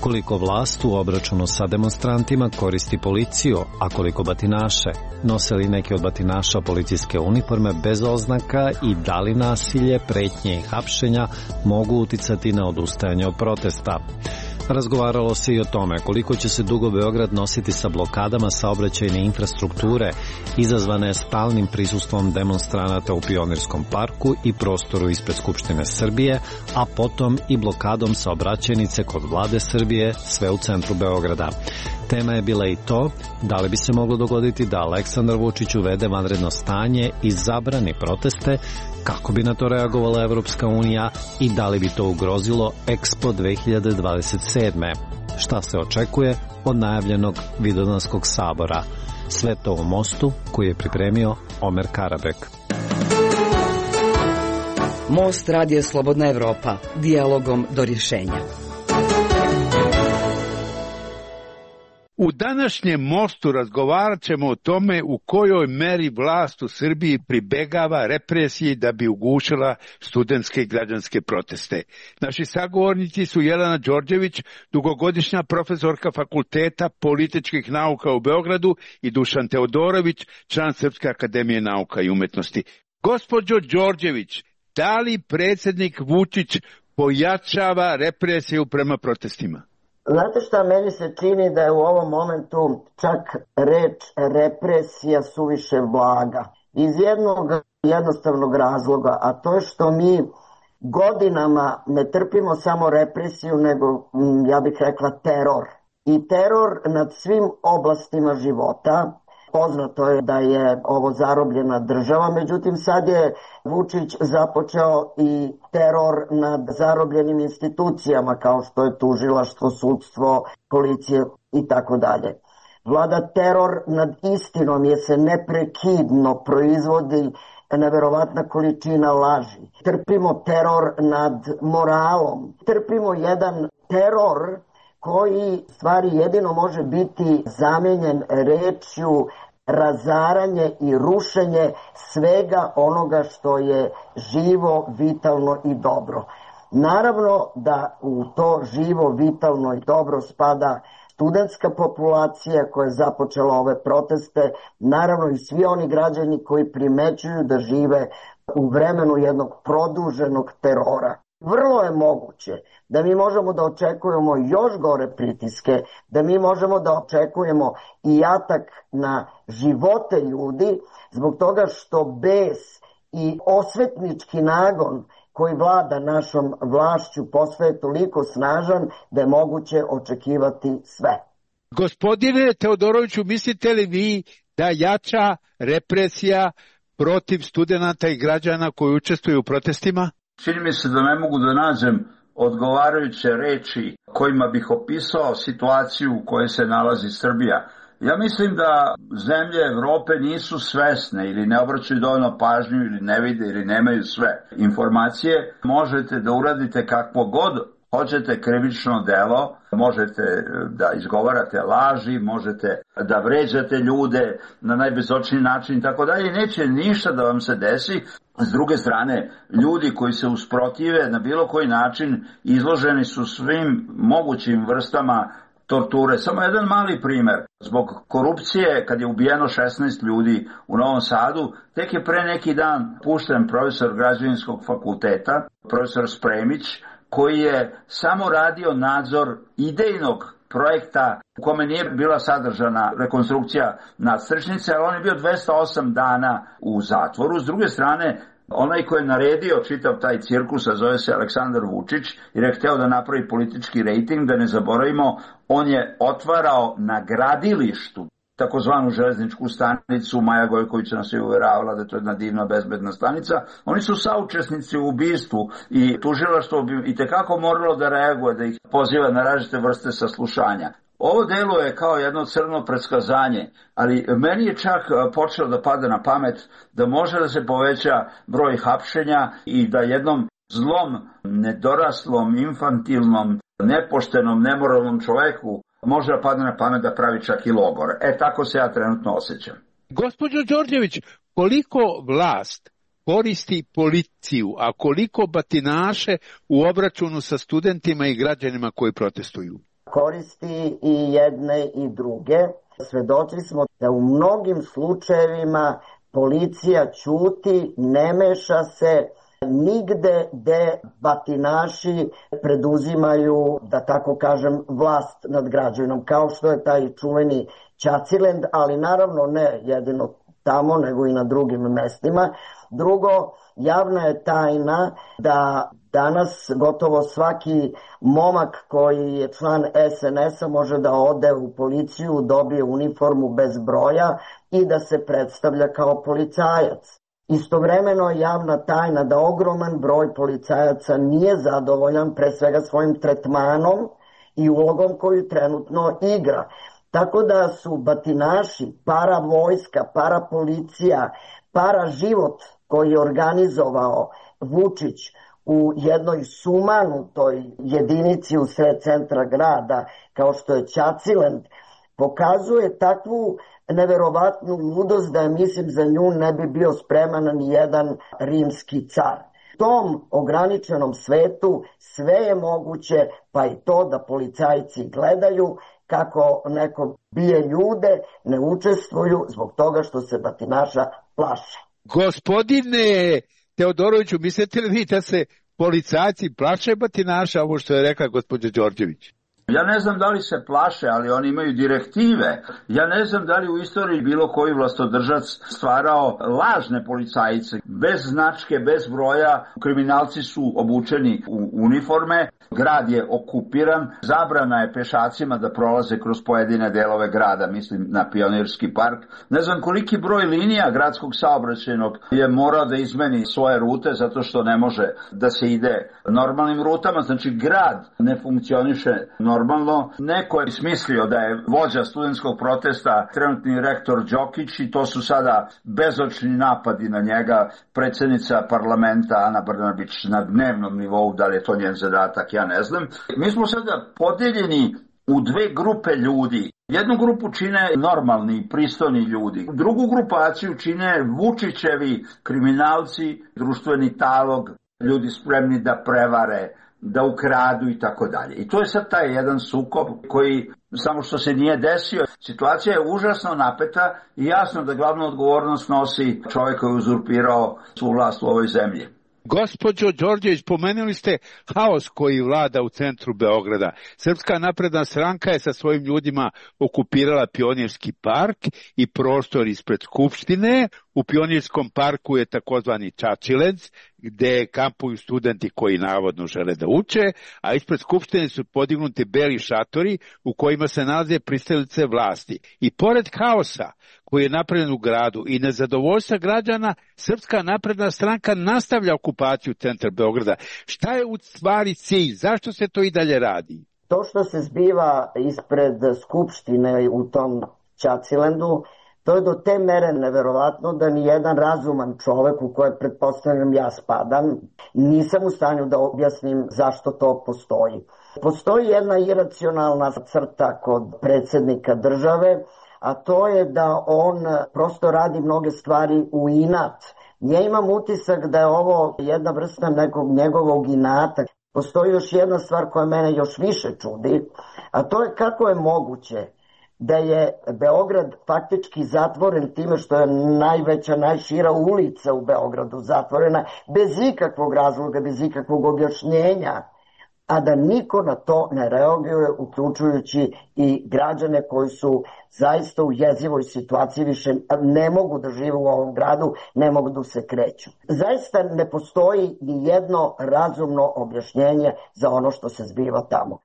Koliko vlast u obračunu sa demonstrantima koristi policiju, a koliko batinaše? Nose li neki od batinaša policijske uniforme bez oznaka i da li nasilje, pretnje i hapšenja mogu uticati na odustajanje od protesta? Razgovaralo se i o tome koliko će se dugo Beograd nositi sa blokadama saobraćajne infrastrukture izazvane stalnim prisustvom demonstranata u Pionirskom parku i prostoru ispred Skupštine Srbije, a potom i blokadom saobraćajnice kod vlade Srbije, sve u centru Beograda. Tema je bila i to da li bi se moglo dogoditi da Aleksandar Vučić uvede vanredno stanje i zabrani proteste, kako bi na to reagovala Evropska unija i da li bi to ugrozilo Expo dve hiljade dvadeset sedme. Šta se očekuje od najavljenog Vidovdanskog sabora? Sve to u Mostu koji je pripremio Omer Karabek. Most Radio Slobodna Evropa, dijalogom do rješenja. U današnjem Mostu razgovarat ćemo o tome u kojoj meri vlast u Srbiji pribegava represiji da bi ugušila studentske i građanske proteste. Naši sagovornici su Jelena Đorđević, dugogodišnja profesorka Fakulteta političkih nauka u Beogradu, i Dušan Teodorović, član Srpske akademije nauka i umetnosti. Gospođo Đorđević, da li predsjednik Vučić pojačava represiju prema protestima? Znate šta, meni se čini da je u ovom momentu čak reč represija suviše blaga. Iz jednog jednostavnog razloga, a to je što mi godinama ne trpimo samo represiju, nego, ja bih rekla, teror. I teror nad svim oblastima života. Poznato je da je ovo zarobljena država, međutim sad je Vučić započeo i teror nad zarobljenim institucijama kao što je tužilaštvo, sudstvo, policija i tako dalje. Vlada teror nad istinom jer se neprekidno proizvodi neverovatna količina laži. Trpimo teror nad moralom, trpimo jedan teror koji stvari jedino može biti zamijenjen rečju razaranje i rušenje svega onoga što je živo, vitalno i dobro. Naravno da u to živo, vitalno i dobro spada studentska populacija koja je započela ove proteste, naravno i svi oni građani koji primećuju da žive u vremenu jednog produženog terora. Vrlo je moguće da mi možemo da očekujemo još gore pritiske, da mi možemo da očekujemo i atak na živote ljudi zbog toga što bes i osvetnički nagon koji vlada našom vlašću postaje toliko snažan da je moguće očekivati sve. Gospodine Teodoroviću, mislite li vi da jača represija protiv studenata i građana koji učestvuju u protestima? Čini mi se da ne mogu da nađem odgovarajuće reči kojima bih opisao situaciju u kojoj se nalazi Srbija. Ja mislim da zemlje Evrope nisu svesne ili ne obraćaju dovoljno pažnju ili ne vide ili nemaju sve informacije. Možete da uradite kakvo god hoćete krivično delo, možete da izgovarate laži, možete da vređate ljude na najbezočniji način i tako dalje, neće ništa da vam se desi. S druge strane, ljudi koji se usprotive na bilo koji način izloženi su svim mogućim vrstama torture. Samo jedan mali primer. Zbog korupcije, kad je ubijeno šesnaest ljudi u Novom Sadu, tek je pre neki dan pušten profesor građevinskog fakulteta, profesor Spremić, koji je samo radio nadzor idejnog projekta u kome nije bila sadržana rekonstrukcija nadstrešnice, ali on je bio dvesta osam dana u zatvoru. S druge strane, onaj ko je naredio čitav taj cirkus, a zove se Aleksandar Vučić, jer je hteo da napravi politički rejting, da ne zaboravimo, on je otvarao na gradilištu takozvanu železničku stanicu. Maja Gojković nas je uveravala da je to jedna divna bezbedna stanica. Oni su saučesnici u ubistvu i tužilaštvo bi i tekako moralo da reaguje, da ih poziva na različite vrste saslušanja. Ovo delo je kao jedno crno predskazanje, ali meni je čak počelo da pada na pamet da može da se poveća broj hapšenja i da jednom zlom, nedoraslom, infantilnom, nepoštenom, nemoralnom čoveku može da padne na pamet da pravi čak i logor. E, tako se ja trenutno osjećam. Gospođo Đorđević, koliko vlast koristi policiju, a koliko batinaše u obračunu sa studentima i građanima koji protestuju? Koristi i jedne i druge. Svedoci smo da u mnogim slučajevima policija ćuti, ne meša se nigde gde batinaši preduzimaju, da tako kažem, vlast nad građanom, kao što je taj čuveni Ćacilend, ali naravno ne jedino tamo, nego i na drugim mestima. Drugo, javna je tajna da danas gotovo svaki momak koji je član es en es-a može da ode u policiju, dobije uniformu bez broja i da se predstavlja kao policajac. Istovremeno je javna tajna da ogroman broj policajaca nije zadovoljan pre svega svojim tretmanom i ulogom koju trenutno igra. Tako da su batinaši, para vojska, para policija, para život koji je organizovao Vučić u jednoj sumanutoj jedinici u sred centra grada, kao što je Ćacilend, pokazuje takvu neverovatnu ludost da je, mislim, za nju ne bi bio spreman ni jedan rimski car. U tom ograničenom svetu sve je moguće, pa i to da policajci gledaju kako neko bije ljude, ne učestvuju zbog toga što se batinaša plaše. Gospodine Teodoroviću, mislite li vi da se policajci plaše batinaša, ovo što je rekla gospođa Đorđević? Ja ne znam da li se plaše, ali oni imaju direktive. Ja ne znam da li u istoriji bilo koji vlastodržac stvarao lažne policajce, bez značke, bez broja. Kriminalci su obučeni u uniforme, grad je okupiran, zabrana je pešacima da prolaze kroz pojedine delove grada, mislim na Pionirski park. Ne znam koliki broj linija gradskog saobraćajnog je morao da izmeni svoje rute zato što ne može da se ide normalnim rutama. Znači grad ne funkcioniše normalno. Normalno, neko je smislio da je vođa studentskog protesta trenutni rektor Đokić i to su sada bezočni napadi na njega. Predsjednica parlamenta Ana Brnabić na dnevnom nivou, da li je to njen zadatak, ja ne znam. Mi smo sada podeljeni u dve grupe ljudi. Jednu grupu čine normalni, pristojni ljudi. Drugu grupaciju čine Vučićevi kriminalci, društveni talog, ljudi spremni da prevare, da ukradu i tako dalje. I to je sad taj jedan sukob koji samo što se nije desio. Situacija je užasno napeta i jasno da glavnu odgovornost nosi čovjek koji je uzurpirao svu vlast u ovoj zemlji. Gospođo Đorđević, pomenuli ste haos koji vlada u centru Beograda. Srpska napredna stranka je sa svojim ljudima okupirala Pionirski park i prostor ispred Skupštine. U Pionirskom parku je takozvani Ćaćilend, gde kampuju studenti koji navodno žele da uče, a ispred Skupštine su podignuti beli šatori u kojima se nalaze pristalice vlasti. I pored haosa koji je napravljen u gradu i nezadovoljstva građana, Srpska napredna stranka nastavlja okupaciju centra Beograda. Šta je u stvari cilj? Zašto se to i dalje radi? To što se zbiva ispred Skupštine u tom Ćacilendu To je do te mere neverovatno da ni jedan razuman čovek u koje pretpostavljam ja spadam, nisam u stanju da objasnim zašto to postoji. Postoji jedna iracionalna crta kod predsjednika države, a to je da on prosto radi mnoge stvari u inat. Ja imam utisak da je ovo jedna vrsta nekog njegovog inata. Postoji još jedna stvar koja mene još više čudi, a to je kako je moguće da je Beograd faktički zatvoren time što je najveća, najšira ulica u Beogradu zatvorena bez ikakvog razloga, bez ikakvog objašnjenja, a da niko na to ne reaguje, uključujući i građane koji su zaista u jezivoj situaciji, više ne mogu da žive u ovom gradu, ne mogu da se kreću. Zaista ne postoji ni jedno razumno objašnjenje za ono što se zbiva tamo.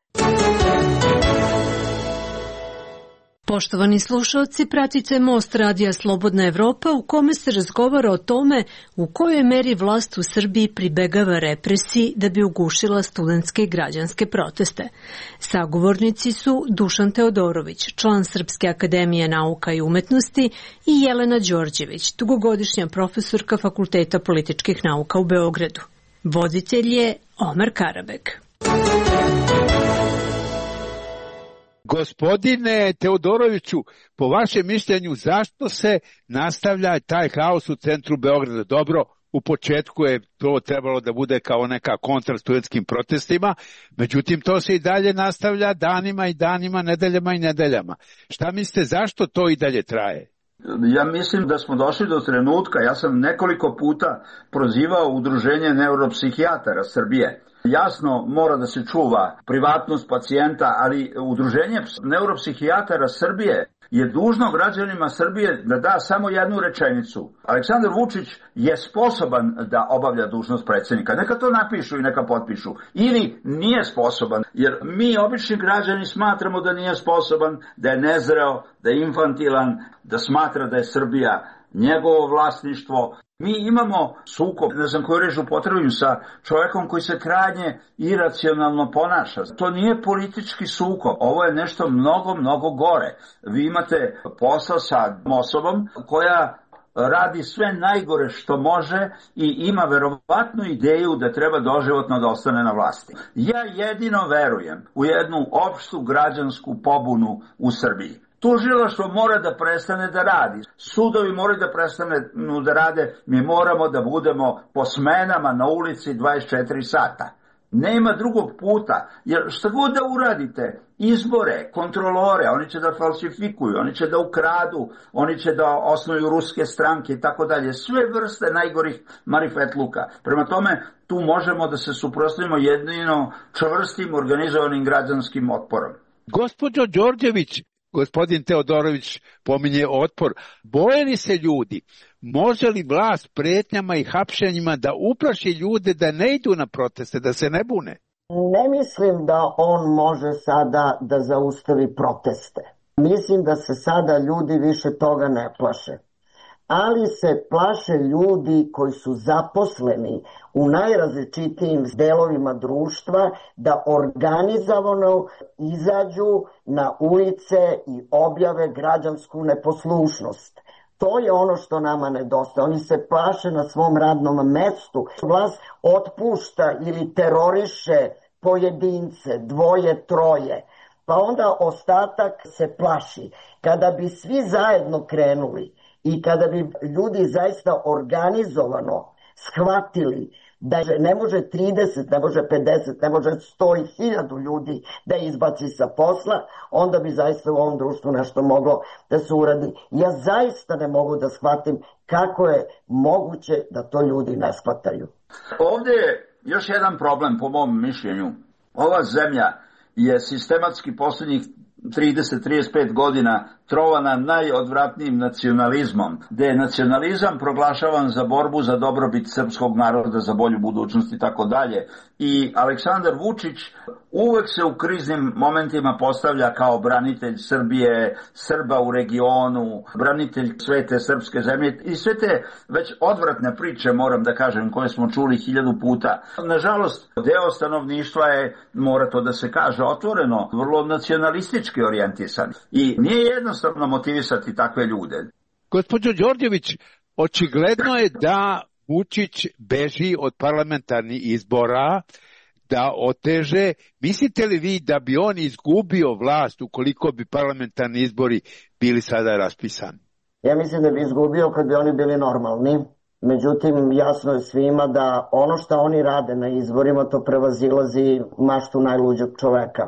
Poštovani slušalci, pratite Most radija Slobodna Evropa u kome se razgovara o tome u kojoj meri vlast u Srbiji pribegava represiji da bi ugušila studentske i građanske proteste. Sagovornici su Dušan Teodorović, član Srpske akademije nauka i umetnosti, i Jelena Đorđević, dugogodišnja profesorka Fakulteta političkih nauka u Beogradu. Voditelj je Omer Karabek. Gospodine Teodoroviću, po vašem mišljenju, zašto se nastavlja taj haos u centru Beograda? Dobro, u početku je to trebalo da bude kao neka kontra studentskim protestima, međutim to se i dalje nastavlja danima i danima, nedeljama i nedeljama. Šta mislite, zašto to i dalje traje? Ja mislim da smo došli do trenutka, ja sam nekoliko puta prozivao Udruženje neuropsihijatara Srbije. Jasno, mora da se čuva privatnost pacijenta, ali Udruženje neuropsihijatara Srbije je dužno građanima Srbije da da samo jednu rečenicu. Aleksandar Vučić je sposoban da obavlja dužnost predsjednika. Neka to napišu i neka potpišu. Ili nije sposoban, jer mi obični građani smatramo da nije sposoban, da je nezreo, da je infantilan, da smatra da je Srbija njegovo vlasništvo. Mi imamo sukob, ne znam koju reč upotrebim, sa čovjekom koji se krajnje iracionalno ponaša. To nije politički sukob, ovo je nešto mnogo, mnogo gore. Vi imate posla sa osobom koja radi sve najgore što može i ima verovatnu ideju da treba doživotno da ostane na vlasti. Ja jedino verujem u jednu opštu građansku pobunu u Srbiji. Tužilaštvo mora da prestane da radi. Sudovi moraju da prestane da rade. Mi moramo da budemo po smenama na ulici dvadeset četiri sata. Nema drugog puta, jer šta god da uradite, izbore, kontrolore, oni će da falsifikuju, oni će da ukradu, oni će da osnuju ruske stranke i tako dalje. Sve vrste najgorih marifetluka. Prema tome, tu možemo da se suprotstavimo jedino čvrstim organizovanim građanskim otporom. Gospođo Đorđević, gospodin Teodorović pominje otpor. Boje li se ljudi? Može li vlast pretnjama i hapšenjima da uplaši ljude da ne idu na proteste, da se ne bune? Ne mislim da on može sada da zaustavi proteste. Mislim da se sada ljudi više toga ne plaše. Ali se plaše ljudi koji su zaposleni u najrazličitijim delovima društva da organizovano izađu na ulice i objave građansku neposlušnost. To je ono što nama nedostaje. Oni se plaše na svom radnom mestu. Vlast otpušta ili teroriše pojedince, dvoje, troje. Pa onda ostatak se plaši. Kada bi svi zajedno krenuli i kada bi ljudi zaista organizovano shvatili da ne može trideset, ne može pedeset, ne može sto i hiljadu ljudi da izbaci sa posla, onda bi zaista u ovom društvu nešto moglo da se uradi. Ja zaista ne mogu da shvatim kako je moguće da to ljudi ne shvataju. Ovdje je još jedan problem po mom mišljenju. Ova zemlja je sistematski posljednjih trideset do trideset pet godina trovana najodvratnijim nacionalizmom, gde je nacionalizam proglašavan za borbu za dobrobit srpskog naroda, za bolju budućnost i tako dalje. I Aleksandar Vučić uvek se u kriznim momentima postavlja kao branitelj Srbije, Srba u regionu, branitelj svete srpske zemlje i sve te već odvratne priče, moram da kažem, koje smo čuli hiljadu puta. Nažalost, deo stanovništva je, mora to da se kaže otvoreno, vrlo nacionalistički orijentisan. I nije jednostavno motivisati takve ljude. Gospođo Đorđević, očigledno je da Vučić beži od parlamentarnih izbora, da oteže. Mislite li vi da bi on izgubio vlast ukoliko bi parlamentarni izbori bili sada raspisani? Ja mislim da bi izgubio kad bi oni bili normalni. Međutim, jasno je svima da ono što oni rade na izborima, to prevazilazi maštu najluđeg čoveka.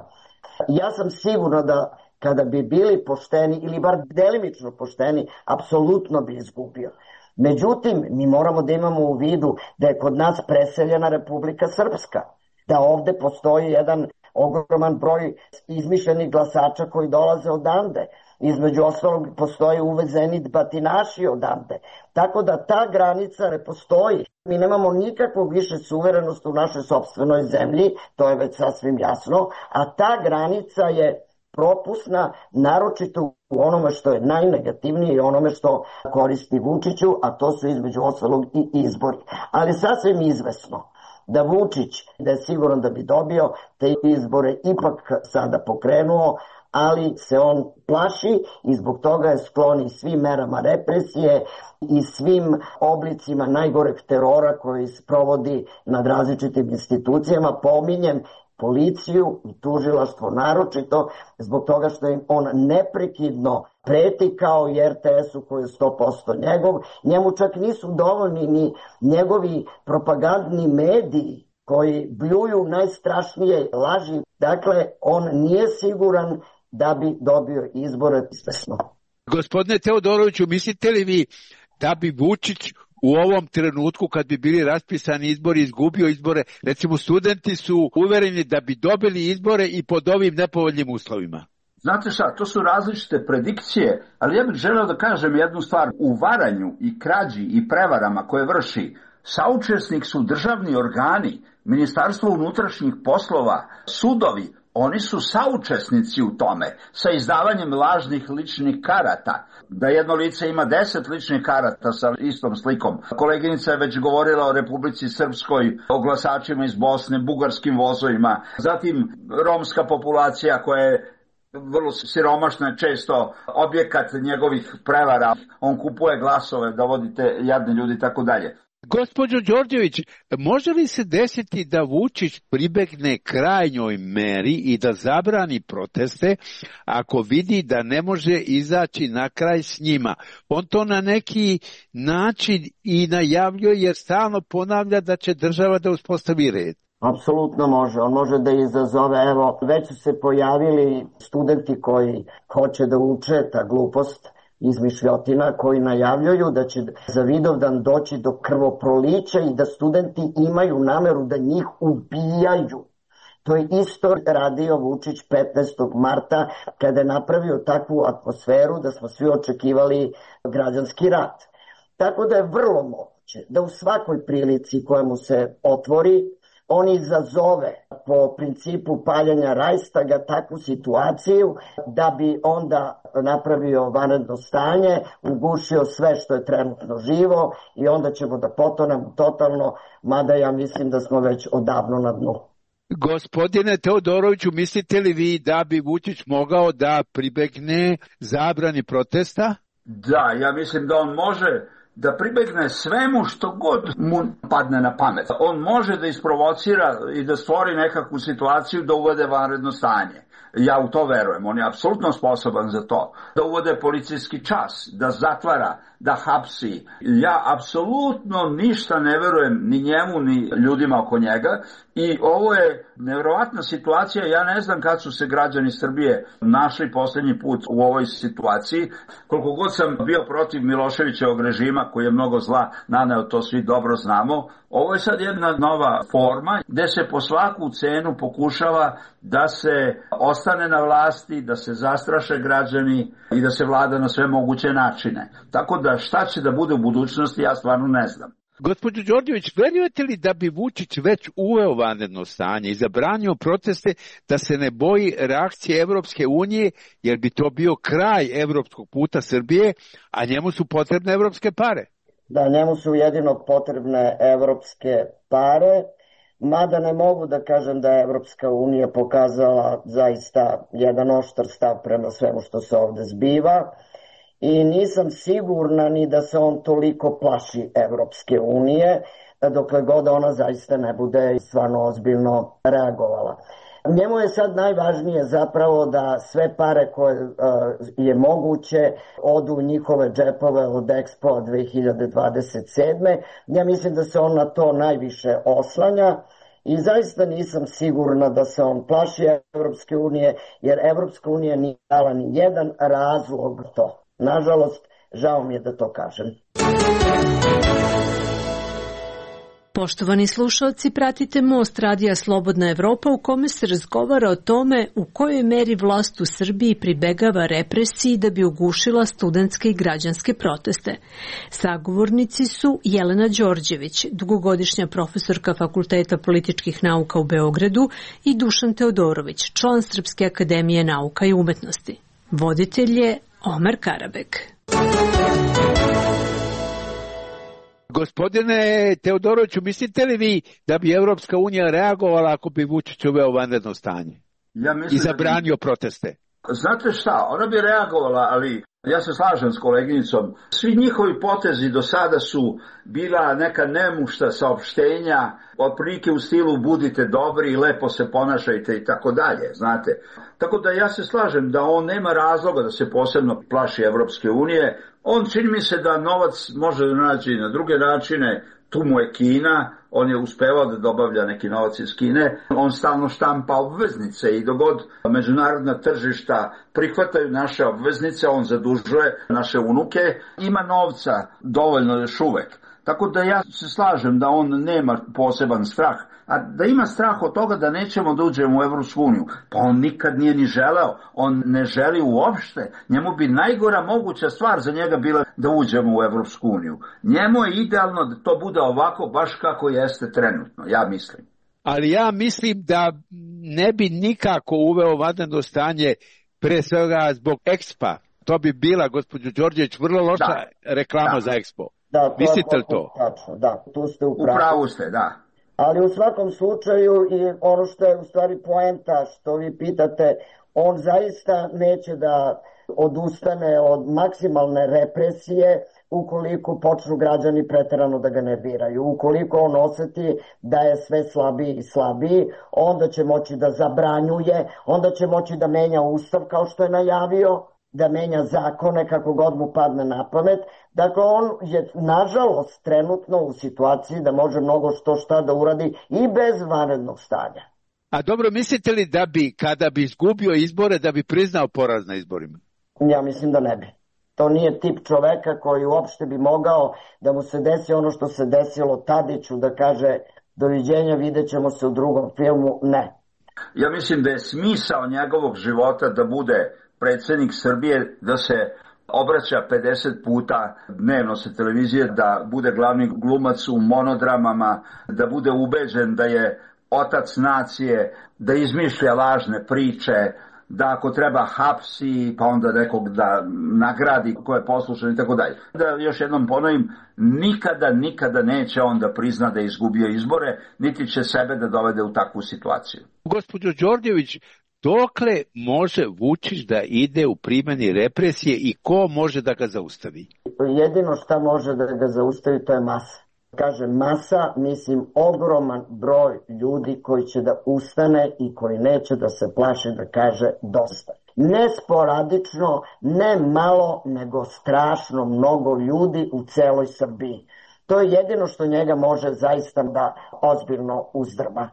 Ja sam sigurna da kada bi bili pošteni, ili bar delimično pošteni, apsolutno bi izgubio. Međutim, mi moramo da imamo u vidu da je kod nas preseljena Republika Srpska, da ovde postoji jedan ogroman broj izmišljenih glasača koji dolaze odande. Između ostalog postoje uvezeni batinaši odande. Tako da ta granica ne postoji. Mi nemamo nikakvu više suverenost u našoj sopstvenoj zemlji, to je već sasvim jasno, a ta granica je propusna, naročito u onome što je najnegativnije i onome što koristi Vučiću, a to su između ostalog i izbori. Ali sasvim izvesno da Vučić, da je siguran da bi dobio te izbore, ipak sada pokrenuo, ali se on plaši i zbog toga je sklon i svim merama represije i svim oblicima najgoreg terora koji se provodi nad različitim institucijama. Pominjem policiju i tužilaštvo naročito zbog toga što im on neprekidno preti kao i er te esu koji je sto posto njegov. Njemu čak nisu dovoljni ni njegovi propagandni mediji koji bljuju najstrašnije laži. Dakle, on nije siguran da bi dobio izbore izvesno. Gospodine Teodoroviću, mislite li vi da bi Vučić u ovom trenutku kad bi bili raspisani izbori izgubio izbore? Recimo, studenti su uvereni da bi dobili izbore i pod ovim nepovoljnim uslovima. Znate šta, to su različite predikcije, ali ja bih želeo da kažem jednu stvar. U varanju i krađi i prevarama koje vrši saučesnik su državni organi, Ministarstvo unutrašnjih poslova, sudovi. Oni su saučesnici u tome sa izdavanjem lažnih ličnih karata. Da jedno lice ima deset ličnih karata sa istom slikom. Koleginica je već govorila o Republici Srpskoj, o glasačima iz Bosne, bugarskim vozovima. Zatim romska populacija koja je vrlo siromašna, često objekat njegovih prevara. On kupuje glasove da vodite jadne ljudi i tako dalje. Gospođo Đorđević, može li se desiti da Vučić pribegne krajnjoj meri i da zabrani proteste ako vidi da ne može izaći na kraj s njima? On to na neki način i najavljuje jer stalno ponavlja da će država da uspostavi red. Apsolutno može. On može da izazove, evo, već su se pojavili studenti koji hoće da uče ta glupost, izmišljotina, koji najavljuju da će za Vidovdan doći do krvoprolića i da studenti imaju nameru da njih ubijaju. To je isto radio Vučić petnaestog marta kada je napravio takvu atmosferu da smo svi očekivali građanski rat. Tako da je vrlo moguće da u svakoj prilici koja mu se otvori on izazove po principu paljenja Rajstaga takvu situaciju da bi onda napravio vanredno stanje, ugušio sve što je trenutno živo i onda ćemo da potonemo totalno, mada ja mislim da smo već odavno na dnu. Gospodine Teodoroviću, mislite li vi da bi Vučić mogao da pribegne zabrani protesta? Da, ja mislim da on može da pribegne svemu što god mu padne na pamet. On može da isprovocira i da stvori nekakvu situaciju da uvede vanredno stanje. Ja u to verujem, on je apsolutno sposoban za to. Da uvode policijski čas, da zatvara, da hapsi. Ja apsolutno ništa ne verujem ni njemu, ni ljudima oko njega. I ovo je nevjerovatna situacija. Ja ne znam kad su se građani Srbije našli posljednji put u ovoj situaciji. Koliko god sam bio protiv Miloševićevog režima, koji je mnogo zla naneo, to svi dobro znamo. Ovo je sad jedna nova forma gde se po svaku cenu pokušava da se ostane na vlasti, da se zastraše građani i da se vlada na sve moguće načine. Tako da šta će da bude u budućnosti, ja stvarno ne znam. Gospođo Đorđević, verujete li da bi Vučić već uveo vanredno stanje i zabranio proteste, da se ne boji reakcije Evropske unije, jer bi to bio kraj evropskog puta Srbije, a njemu su potrebne evropske pare? Da, njemu su jedino potrebne evropske pare, mada ne mogu da kažem da je Evropska unija pokazala zaista jedan oštar stav prema svemu što se ovde zbiva. i nisam sigurna ni da se on toliko plaši Evropske unije, dokle god ona zaista ne bude stvarno ozbiljno reagovala. Njemu je sad najvažnije zapravo da sve pare koje uh, je moguće odu u njihove džepove od Expo dve hiljade dvadeset sedme. Ja mislim da se on na to najviše oslanja i zaista nisam sigurna da se on plaši Evropske unije, jer Evropska unija nije dala ni jedan razlog to. Nažalost, žao mi je da to kažem. Poštovani slušalci, pratite Most radija Slobodna Evropa u kome se razgovara o tome u kojoj meri vlast u Srbiji pribegava represiji da bi ugušila studentske i građanske proteste. Sagovornici su Jelena Đorđević, dugogodišnja profesorka Fakulteta političkih nauka u Beogradu, i Dušan Teodorović, član Srpske akademije nauka i umetnosti. Voditelj je Omer Karabek. Gospodine Teodoroviću, mislite li vi da bi Evropska unija reagovala ako bi Vučić uveo vanredno stanje ja i zabranio bi... proteste? Znate šta, ona bi reagovala, ali ja se slažem s koleginicom. Svi njihovi potezi do sada su bila neka nemušta saopštenja, otprilike u stilu budite dobri i lepo se ponašajte i tako dalje, znate. Tako da ja se slažem da on nema razloga da se posebno plaši Evropske unije. On čini mi se da novac može naći na druge načine, tu mu je Kina, on je uspevao da dobavlja neki novac iz Kine, on stalno štampa obveznice i dogod međunarodna tržišta prihvataju naše obveznice, on zadužuje naše unuke, ima novca dovoljno još uvek. Tako da ja se slažem da on nema poseban strah, a da ima strah od toga da nećemo da uđemo u Evropsku uniju, pa on nikad nije ni želeo, on ne želi uopšte, njemu bi najgora moguća stvar za njega bila da uđemo u Evropsku uniju. Njemu je idealno da to bude ovako baš kako jeste trenutno, ja mislim. Ali ja mislim da ne bi nikako uveo vanredno stanje, pre svega zbog Expa. To bi bila, gospođo Đorđević, vrlo loša da. reklama da. za Expo. Da, to mislite li to? Tačno, da, tu ste u pravu. U pravu ste, da. Ali u svakom slučaju, i ono što je u stvari poenta što vi pitate, on zaista neće da odustane od maksimalne represije ukoliko počnu građani preterano da ga nerviraju. Ukoliko on oseti da je sve slabiji i slabiji, onda će moći da zabranjuje, onda će moći da menja ustav kao što je najavio, da menja zakone kako god mu padne na pamet. Dakle, on je nažalost trenutno u situaciji da može mnogo što šta da uradi i bez vanrednog stanja. A dobro, mislite li da bi, kada bi izgubio izbore, da bi priznao poraz na izborima? Ja mislim da ne bi. To nije tip čoveka koji uopšte bi mogao da mu se desi ono što se desilo Tadiću, da kaže doviđenja, vidjet ćemo se u drugom filmu. Ne. Ja mislim da je smisao njegovog života da bude predsjednik Srbije, da se obraća pedeset puta dnevno sa televizije, da bude glavni glumac u monodramama, da bude ubeđen da je otac nacije, da izmišlja lažne priče, da ako treba hapsi, pa onda nekog da nagradi ko je poslušan i tako dalje. Da još jednom ponovim, nikada, nikada neće on da prizna da je izgubio izbore, niti će sebe da dovede u takvu situaciju. Gospođo Đorđević, dokle može Vučić da ide u primjeni represije i ko može da ga zaustavi? Jedino šta može da ga zaustavi to je masa. Kaže masa, mislim ogroman broj ljudi koji će da ustane i koji neće da se plaše da kaže dosta. Ne sporadično, ne malo, nego strašno mnogo ljudi u celoj Srbiji. To je jedino što njega može zaista da ozbiljno uzdrma.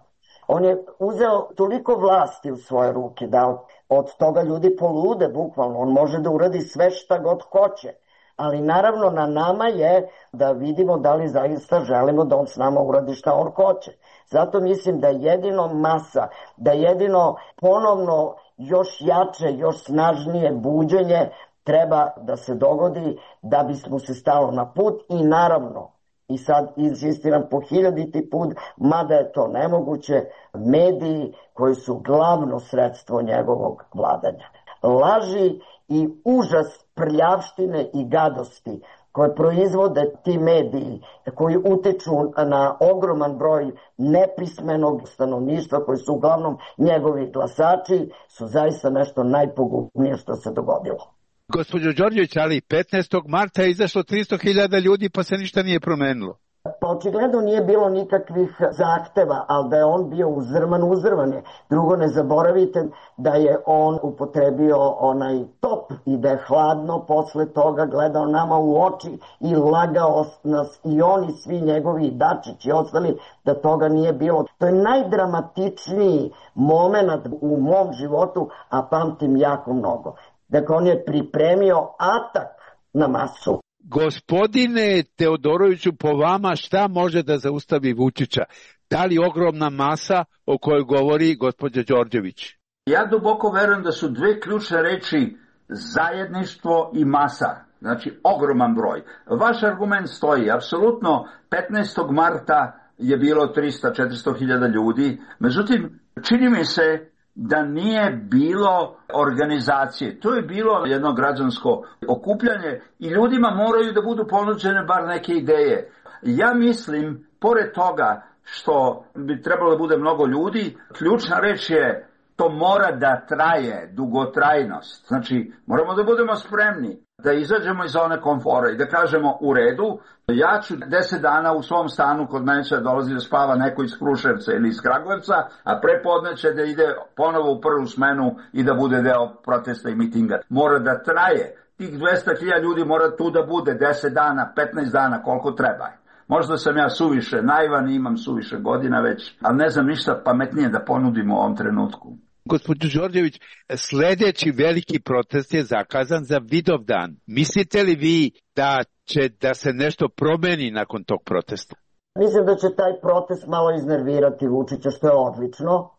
On je uzeo toliko vlasti u svoje ruke da od toga ljudi polude bukvalno. On može da uradi sve šta god hoće. Ali naravno na nama je da vidimo da li zaista želimo da on s nama uradi šta on hoće. Zato mislim da jedino masa, da jedino ponovno još jače, još snažnije buđenje treba da se dogodi da bismo se stalo na put i naravno, i sad insistiram po hiljaditi put, mada je to nemoguće, mediji koji su glavno sredstvo njegovog vladanja. Laži i užas prljavštine i gadosti koje proizvode ti mediji, koji uteču na ogroman broj nepismenog stanovništva, koji su uglavnom njegovi glasači, su zaista nešto najpogubnije što se dogodilo. Gospođo Đorđević, ali petnaestog marta je izašlo tristo hiljada ljudi pa se ništa nije promenilo. Pa očigledno nije bilo nikakvih zahteva, ali da je on bio uzrman, uzrman je. Drugo, ne zaboravite da je on upotrebio onaj top i da je hladno posle toga gledao nama u oči i lagao nas i oni svi njegovi Dačić i ostali da toga nije bilo. To je najdramatičniji moment u mom životu, a pamtim jako mnogo. Dakle, on je pripremio atak na masu. Gospodine Teodoroviću, po vama šta može da zaustavi Vučića? Da li ogromna masa o kojoj govori gospođa Đorđević? Ja duboko verujem da su dve ključne reči zajedništvo i masa. Znači, ogroman broj. Vaš argument stoji. Apsolutno, petnaestog marta je bilo tristo do četiristo hiljada ljudi. Međutim, čini mi se da nije bilo organizacije. To je bilo jedno građansko okupljanje i ljudima moraju da budu ponuđene bar neke ideje. Ja mislim, pored toga što bi trebalo da bude mnogo ljudi, ključna reč je to mora da traje, dugotrajnost. Znači, moramo da budemo spremni da izađemo iz zone komfora i da kažemo u redu, ja ću deset dana u svom stanu kod mene će dolazi da spava neko iz Kruševca ili iz Kragujevca, a prepodne će da ide ponovo u prvu smenu i da bude deo protesta i mitinga. Mora da traje. Tih dvesta hiljada ljudi mora tu da bude deset dana, petnaest dana, koliko treba. Možda sam ja suviše naivan i imam suviše godina već, ali ne znam ništa pametnije da ponudim u ovom trenutku. Gospođo Đorđević, sljedeći veliki protest je zakazan za Vidovdan. Mislite li vi da će da se nešto promeni nakon tog protesta? Mislim da će taj protest malo iznervirati Vučića, što je odlično.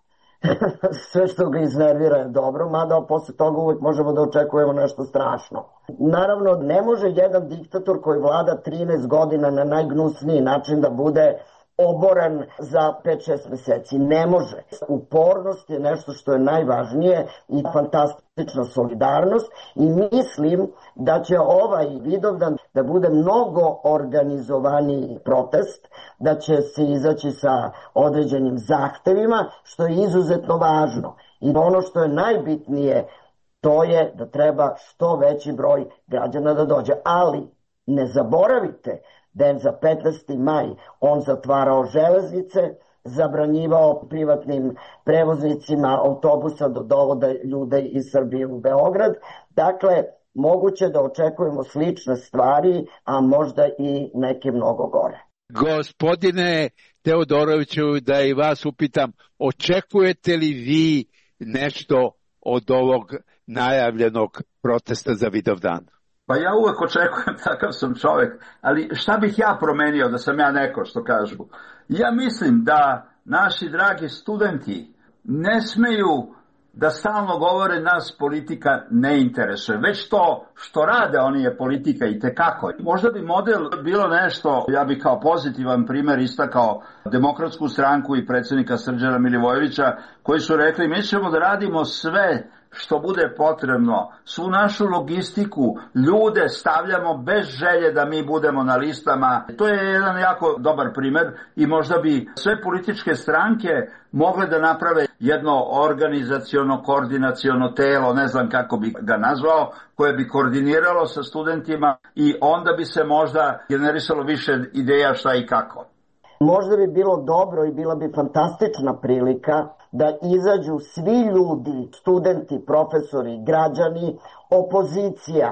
Sve što ga iznervira je dobro, mada posle toga uvijek možemo da očekujemo nešto strašno. Naravno, ne može jedan diktator koji vlada trinaest godina na najgnusniji način da bude oboran za pet šest meseci. Ne može. Upornost je nešto što je najvažnije i fantastična solidarnost i mislim da će ovaj Vidovdan da bude mnogo organizovaniji protest, da će se izaći sa određenim zahtevima, što je izuzetno važno. I ono što je najbitnije, to je da treba što veći broj građana da dođe. Ali ne zaboravite da je za petnaesti maj on zatvarao železnice, zabranjivao privatnim prevoznicima autobusa da dovode ljude iz Srbije u Beograd. Dakle, moguće da očekujemo slične stvari, a možda i neke mnogo gore. Gospodine Teodoroviću, da i vas upitam, očekujete li vi nešto od ovog najavljenog protesta za Vidovdan? Pa ja uvek očekujem, takav sam čovek, ali šta bih ja promenio da sam ja neko, što kažu? Ja mislim da naši dragi studenti ne smeju da stalno govore nas politika ne interesuje, već to što rade oni je politika i tekako. Možda bi model bilo nešto, ja bih kao pozitivan primer istakao Demokratsku stranku i predsjednika Srđana Milivojevića, koji su rekli mi ćemo da radimo sve što bude potrebno, svu našu logistiku, ljude stavljamo bez želje da mi budemo na listama. To je jedan jako dobar primer i možda bi sve političke stranke mogle da naprave jedno organizaciono, koordinaciono telo, ne znam kako bi ga nazvao, koje bi koordiniralo sa studentima i onda bi se možda generisalo više ideja šta i kako. Možda bi bilo dobro i bila bi fantastična prilika da izađu svi ljudi, studenti, profesori, građani, opozicija,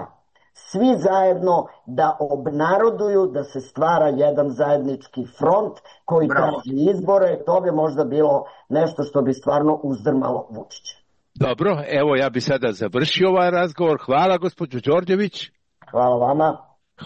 svi zajedno da obnaroduju da se stvara jedan zajednički front koji traži izbore. To bi možda bilo nešto što bi stvarno uzdrmalo Vučića. Dobro, evo ja bi sada završio ovaj razgovor. Hvala gospođo Đorđević. Hvala vama.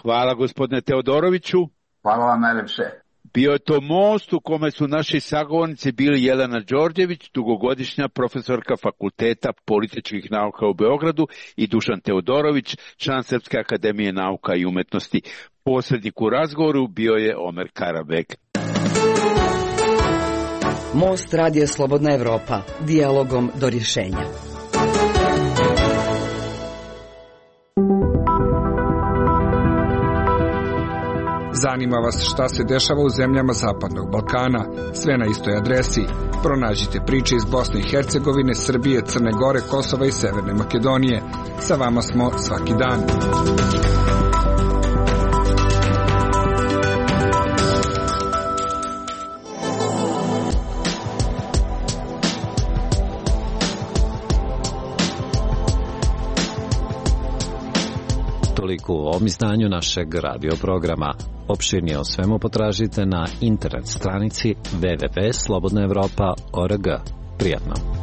Hvala gospodine Teodoroviću. Hvala vam najlepše. Bio je to most u kome su naši sagovornici bili Jelena Đorđević, dugogodišnja profesorka Fakulteta političkih nauka u Beogradu, i Dušan Teodorović, član Srpske akademije nauka i umetnosti. Posrednik u razgovoru bio je Omer Karabek. Most Radija Slobodna Evropa, dijalogom do rješenja. Zanima vas šta se dešava u zemljama Zapadnog Balkana? Sve na istoj adresi. Pronađite priče iz Bosne i Hercegovine, Srbije, Crne Gore, Kosova i Severne Makedonije. Sa vama smo svaki dan. Toliko u ovom izdanju našeg radioprograma. Opširnije o svemu potražite na internet stranici w w w tačka slobodna evropa tačka org. Prijatno.